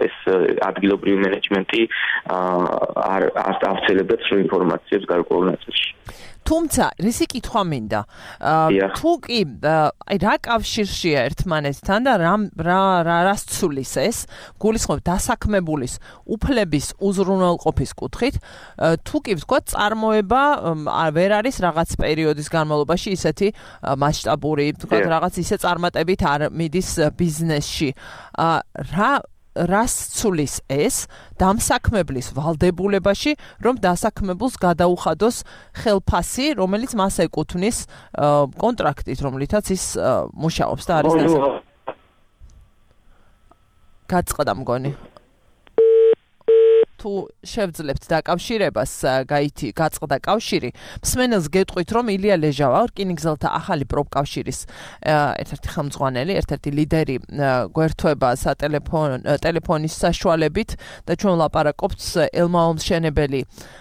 ეს ადგილობრივი მენეჯმენტი არ ავცელებდა სრულ ინფორმაციებს გარკვეულ ნაწილში. თუმცა, რისი კითხვა მინდა? თუ კი რა კავშირშია ერთმანეთთან და რას ცulis ეს? გულისხმობ დასაქმებულის უფლების უზრუნველყოფის კუთხით, თუ კი ვთქვათ, წარმოება ვერ არის რაღაც პერიოდის განმავლობაში ისეთი მასშტაბური, ვთქვათ, რაღაც ისე წარმატებით არ მიდის ბიზნესში. რას ცulis ეს დამსაქმებლის ვალდებულებაში, რომ დასაქმებულს გადაუხადოს ხელფასი, რომელიც მას ეკუთვნის კონტრაქტით, რომლითაც ის მუშაობს და არის გაწყდა მგონი. თუ შევძლებთ დაკავშირებას, გაწყდა კავშირი, მსმენელს გეტყვით, რომ ილია ლეჟავა, რკინიგზელთა ახალი პროფკავშირის ერთ-ერთი ხელმძღვანელი, ერთ-ერთი ლიდერი გვერდება სატელეფონის საშუალებით და ჩვენ ვლაპარაკობთ ელმავალ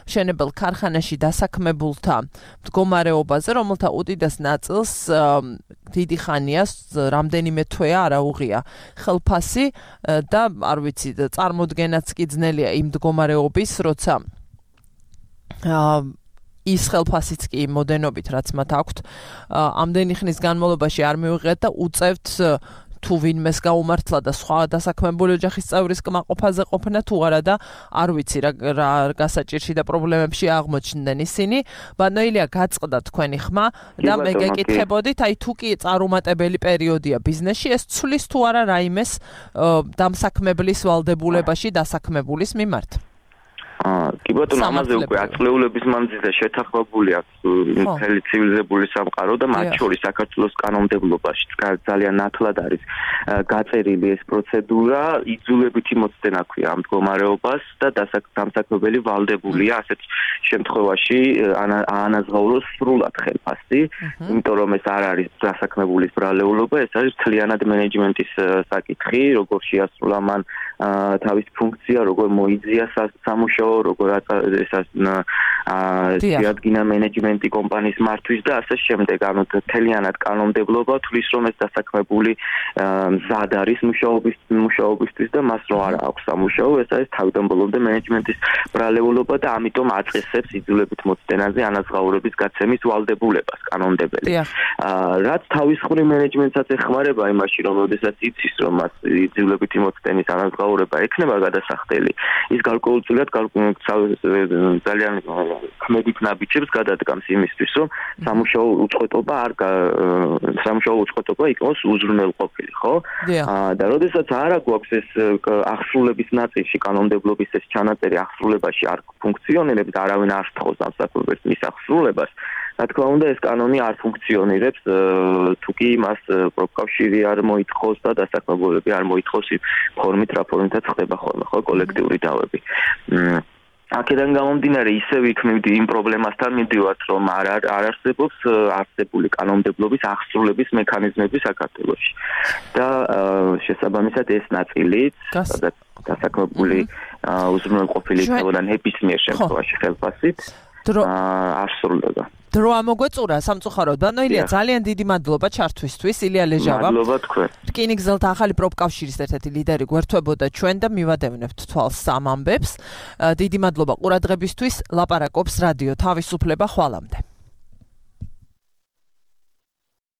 მშენებელ ქარხანაში დასაქმებულთა მდგომარეობაზე, რომელთა უდიდეს ნაწილს დიდი ხანია, რამდენიმე თვეა არაუღია ხელფასი და არ ვიცი, წარმოდგენაც კი ძნელია იმ მდგომარეობის, როცა ის ხელფასიც კი მოდენობით, რაც მათ აქვთ, ამდენი ხნის განმავლობაში არ მივიღეთ და უწევთ თუ ვინმეს გაუმართლა და სხვა დასაქმებული ოჯახის წევრის კმაყოფაზე ყოფნა თუ არა და არ ვიცი რა გასაჭირში და პრობლემებში აღმოჩნდნენ ისინი. ბატონო ილია, გაწყდა თქვენი ხმა და მე გეკითხებოდით, აი თუ კი წარუმატებელი პერიოდია ბიზნესში, ეს ცulis თუ არა რაიმეს დამსაქმებლის ვალდებულებაში დასაქმებულის მიმართ? კი ბატონო, ამაზე უკვე ათწლეულების მანძილზე შეთანხმებული აქვს მთელი ცივილიზებული სამყარო და მათ შორის საქართველოს კანონმდებლობაში ძალიან ნათლად არის გაწერილი ეს პროცედურა, იძულებითი მოცდენა ქვია ამ მდგომარეობას და დამსაქმებელი ვალდებულია ასეთ შემთხვევაში აანაზღაუროს სრულად ხელფასი, იმიტომ რომ ეს არ არის დასაქმებულის ბრალეულობა, ეს არის მთლიანად მენეჯმენტის საკითხი, როგორ შეასრულა მან თავის ფუნქცია, როგორ მოიძია სამუშაო, როგორ შეადგინა მენეჯმენტი კომპანიის მართვის და ასე შემდეგ. ანუ მთლიანად კანონმდებლობა თulis რომ ეს დასაქმებული მზად არის მუშაობისთვის და მას რო არ აქვს სამუშაო, ეს არის თავიდან ბოლომდე მენეჯმენტის ბრალეულობა და ამიტომ აწესებს იძულებით მოცდენაზე ანაზღაურების გაცემის ვალდებულებას კანონმდებელი. რაც თავისხრივ მენეჯმენტსაც ეხმარება იმაში, რომ როდესაც იცის, რომ მას იძულებითი მოცდენის ანაზღაურება ექნება გადასახდელი, ის გარკვეულწილად ძალიან ქმედით ნაბიჯებს გადადგამს იმისთვის, რომ სამუშაო უწყვეტობა იქნოს უზრუნველყოფილი, ხო? და როდესაც არა გვაქვს ეს აღსრულების ნაწილში კანონმდებლობის ეს ჩანაწერი აღსრულებაში არ ფუნქციონირებს და არავინ არ სთხოვს დამსაქმებელს მის აღსრულებას, რა თქმა უნდა ეს კანონი არ ფუნქციონირებს თუ კი მას პროფკავშირი არ მოითხოვს და დასაქმებულები არ მოითხოვს ფორმით რა ფორმითაც ხდება ხოლმე, ხო, კოლექტიური დავები. აქედან გამომდინარე ისევ იქ იმ პრობლემასთან მივდივართ, რომ არ არსებობს არსებული კანონმდებლობის აღსრულების მექანიზმები საქართველოში. და შესაბამისად ეს ნაწილიც დასაქმებული უზრუნველყოფილი იქნებოდა ნებისმიერ შემთხვევაში ხელფასით არ სრულდება. დრო ამოგვეწურა სამწუხაროდ. ბატონო ილია, ძალიან დიდი მადლობა ჩართვისთვის. ილია ლეჟავა. მადლობა თქვენ. რკინიგზელთა ახალი პროფკავშირის ერთ-ერთი ლიდერი გვერდთვებოდა ჩვენ და მივადევნებთ თვალს სამ ამბებს. დიდი მადლობა ყურადღებისთვის. ლაპარაკობს რადიო თავისუფლება ხვალამდე.